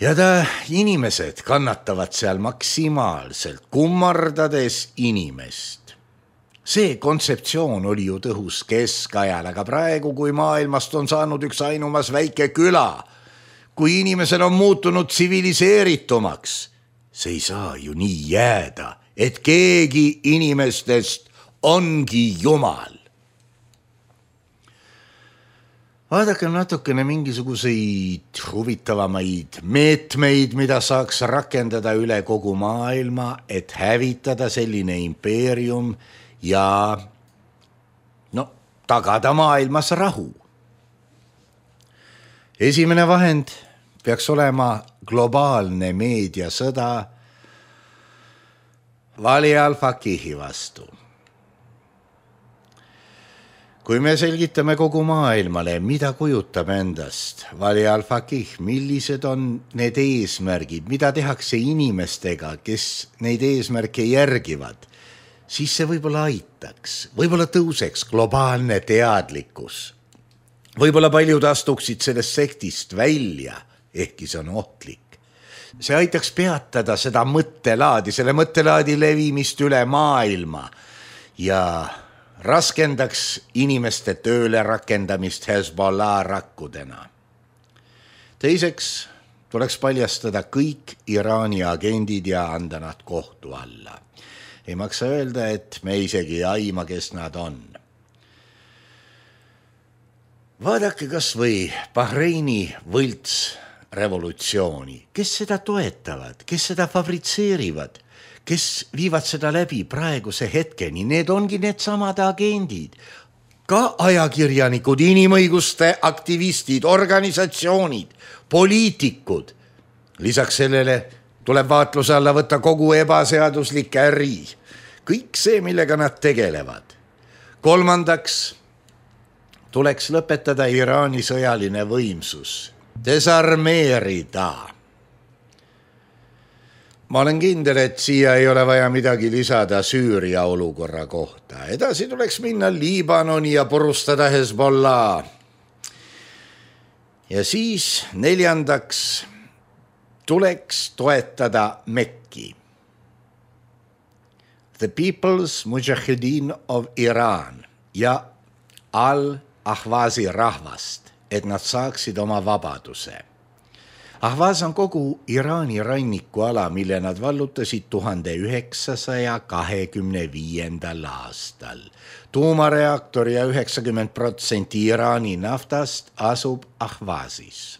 Ja ta inimesed kannatavad seal maksimaalselt, kummardades inimest. See kontseptsioon oli ju tõhus keskajal, aga praegu, kui maailmast on saanud üks ainumas väike küla, kui inimesel on muutunud tsiviliseeritumaks, see ei saa ju nii jääda, et keegi inimestest ongi Jumal. Vaadake natukene mingisuguseid huvitavamaid meetmeid, mida saaks rakendada üle kogu maailma, et hävitada selline impeerium ja no, tagada maailmas rahu. Esimene vahend peaks olema globaalne meediasõda Wali al-Faqihi vastu. Kui me selgitame kogu maailmale, mida kujutab endast Wali al-Faqih, millised on need eesmärgid, mida tehakse inimestega, kes neid eesmärke järgivad, siis see võib-olla aitaks, võib-olla tõuseks globaalne teadlikkus. Võib-olla paljud astuksid sellest sektist välja, ehkki see on ohtlik. See aitaks peatada seda mõttelaadi, selle mõttelaadi levimist üle maailma ja raskendaks inimeste tööle rakendamist Hezbollah rakkudena. Teiseks tuleks paljastada kõik Iraani agendid ja anda nad kohtu alla. Ei maksa öelda, et me isegi ei aima, kes nad on. Vaadake kas või Bahreini võlts revolutsiooni. Kes seda toetavad, kes seda fabritseerivad, kes viivad seda läbi praeguse hetkeni, need ongi need samad agendid. Ka ajakirjanikud, inimõiguste aktivistid, organisatsioonid, poliitikud. Lisaks sellele tuleb vaatluse alla võtta kogu ebaseaduslik äri. Kõik see, millega nad tegelevad. Kolmandaks tuleks lõpetada Iraani sõjaline võimsus. Desarmeerida. Ma olen kindel, et siia ei ole vaja midagi lisada Süüria olukorra kohta. Edasi tuleks minna Liibanoni ja purustada Hezbollah. Ja siis neljandaks tuleks toetada Mekki. The People's Mujahideen of Iran ja Al-Ahwazi rahvast, et nad saaksid oma vabaduse. Ahvaz on kogu Iraani rannikuala, mille nad vallutasid tuhande üheksasaja kahekümne viiendal aastal. Tuumareaktor ja üheksakümmend protsenti Iraani naftast asub Ahvazis.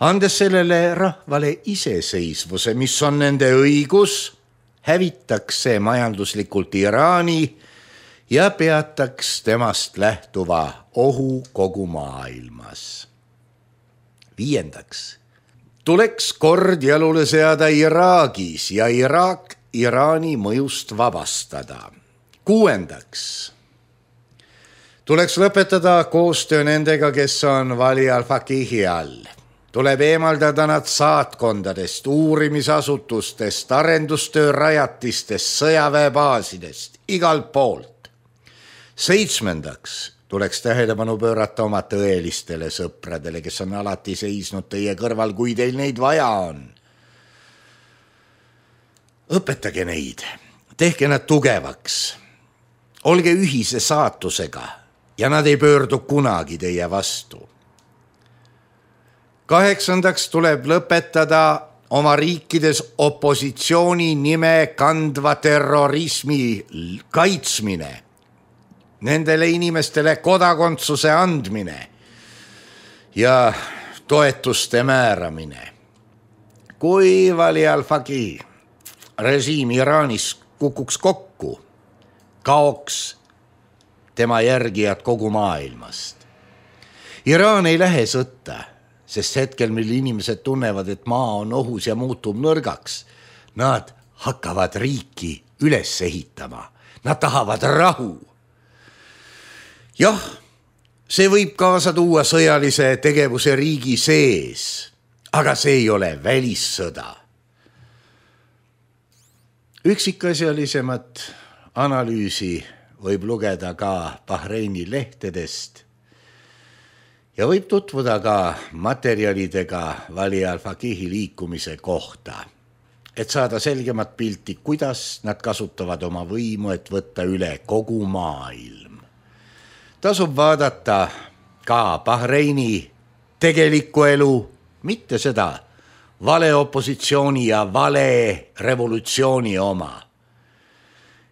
Andes sellele rahvale iseseisvuse, mis on nende õigus, hävitaks see majanduslikult Iraani ja peataks temast lähtuva ohu kogu maailmas. Viiendaks tuleks kord jalule seada Iraagis ja Iraak Iraani mõjust vabastada. Kuuendaks tuleks lõpetada koostöö nendega, kes on Wali al-Faqihi all. Tuleb eemaldada nad saatkondadest, uurimisasutustest, arendustöö rajatistest, sõjaväebaasidest, igalt poolt. Seitsmendaks tuleks tähelepanu pöörata oma tõelistele sõpradele, kes on alati seisnud teie kõrval, kui teil neid vaja on. Õpetage neid, tehke nad tugevaks, olge ühise saatusega ja nad ei pöördu kunagi teie vastu. Kaheksandaks tuleb lõpetada oma riikides opositsiooni nime kandva terrorismi kaitsmine, nendele inimestele kodakondsuse andmine ja toetuste määramine. Kui Wali al-Faqih režiim Iraanis kukuks kokku, kaoks tema järgijad kogu maailmast. Iraan ei lähe sõtta, sest hetkel, mil inimesed tunnevad, et maa on ohus ja muutub nõrgaks, nad hakkavad riiki üles ehitama. Nad tahavad rahu. Jah, see võib kaasa tuua sõjalise tegevuse riigi sees, aga see ei ole välissõda. Üksikasjalisemat analüüsi võib lugeda ka Bahreini lehtedest ja võib tutvuda ka materjalidega Wali al-Faqihi liikumise kohta. et saada selgemat pilti, kuidas nad kasutavad oma võimu, et võtta üle kogu maailm. Tasub vaadata ka Bahreini tegelikku elu, mitte seda vale opositsiooni ja vale revolutsiooni oma.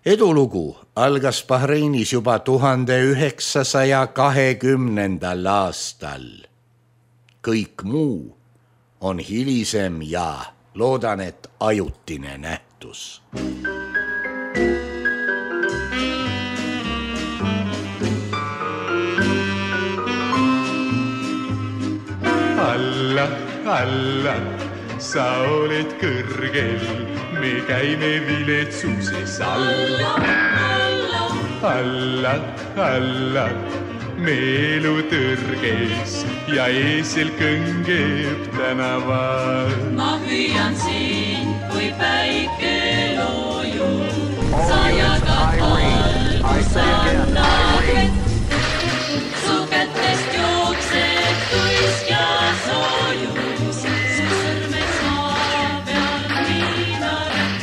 Edulugu algas Bahreinis juba tuhande üheksasaja kahekümnendal aastal. Kõik muu on hilisem ja loodan, et ajutine nähtus. Alla, alla, sa oled kõrgel, me käime viletsuses alla. Alla, alla, me elu tõrges ja eesel kõngeb tänaval. Ma hüüan sind, kui päike loojub, sa jagad valgus annad vett. Su kätest jookseb tuisk ja soojus, su sõrmed saa peal miinaret.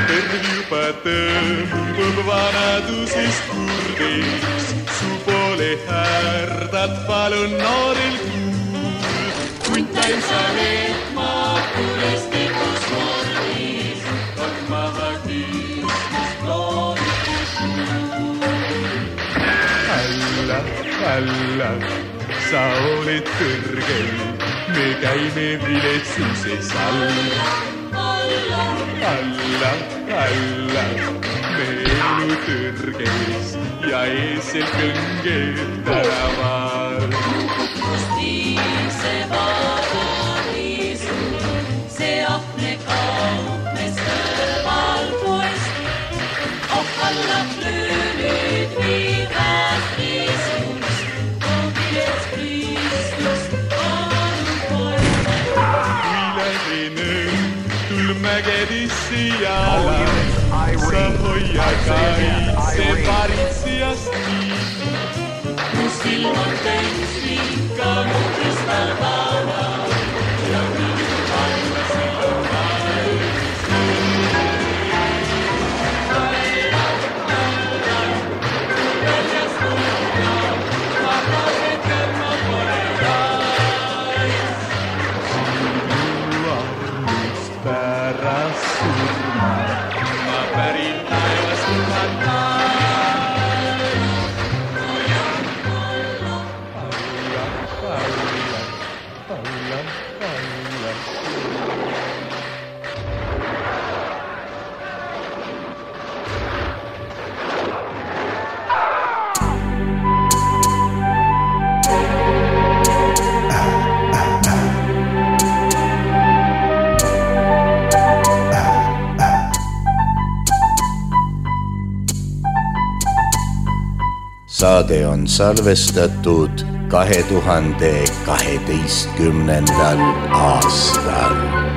Terv juba tõmbub vanadusest kurdeks, su poole härdad palun noorel kuul. Kuntain sa leetma kuristikus mordis, kord maha küüstust loodus. Alla, alla, sa oled kõrgel, me käime viletsuses alla. Alla, alla, alla, me elu tõrges ja eesel kõngeb tänaval. Kust viise paradiisu, see ahne kaupmes kõrval poest. Oh, alla plöönid viivät riisus, koogilets Kristust palun poest. Viiledinen tul mägedisse jala, sa hoia kaitse paritsijast nii. Mu silm on täis ikka mu kristallkala ja kõik panna silm valmis. Alla, alla, väljas kuulda, vabased kõrma pole rais. Sinu armust pärast surma, ma pärin taevas kuhata. Saade on salvestatud kahe tuhande kaheteistkümnendal aastal.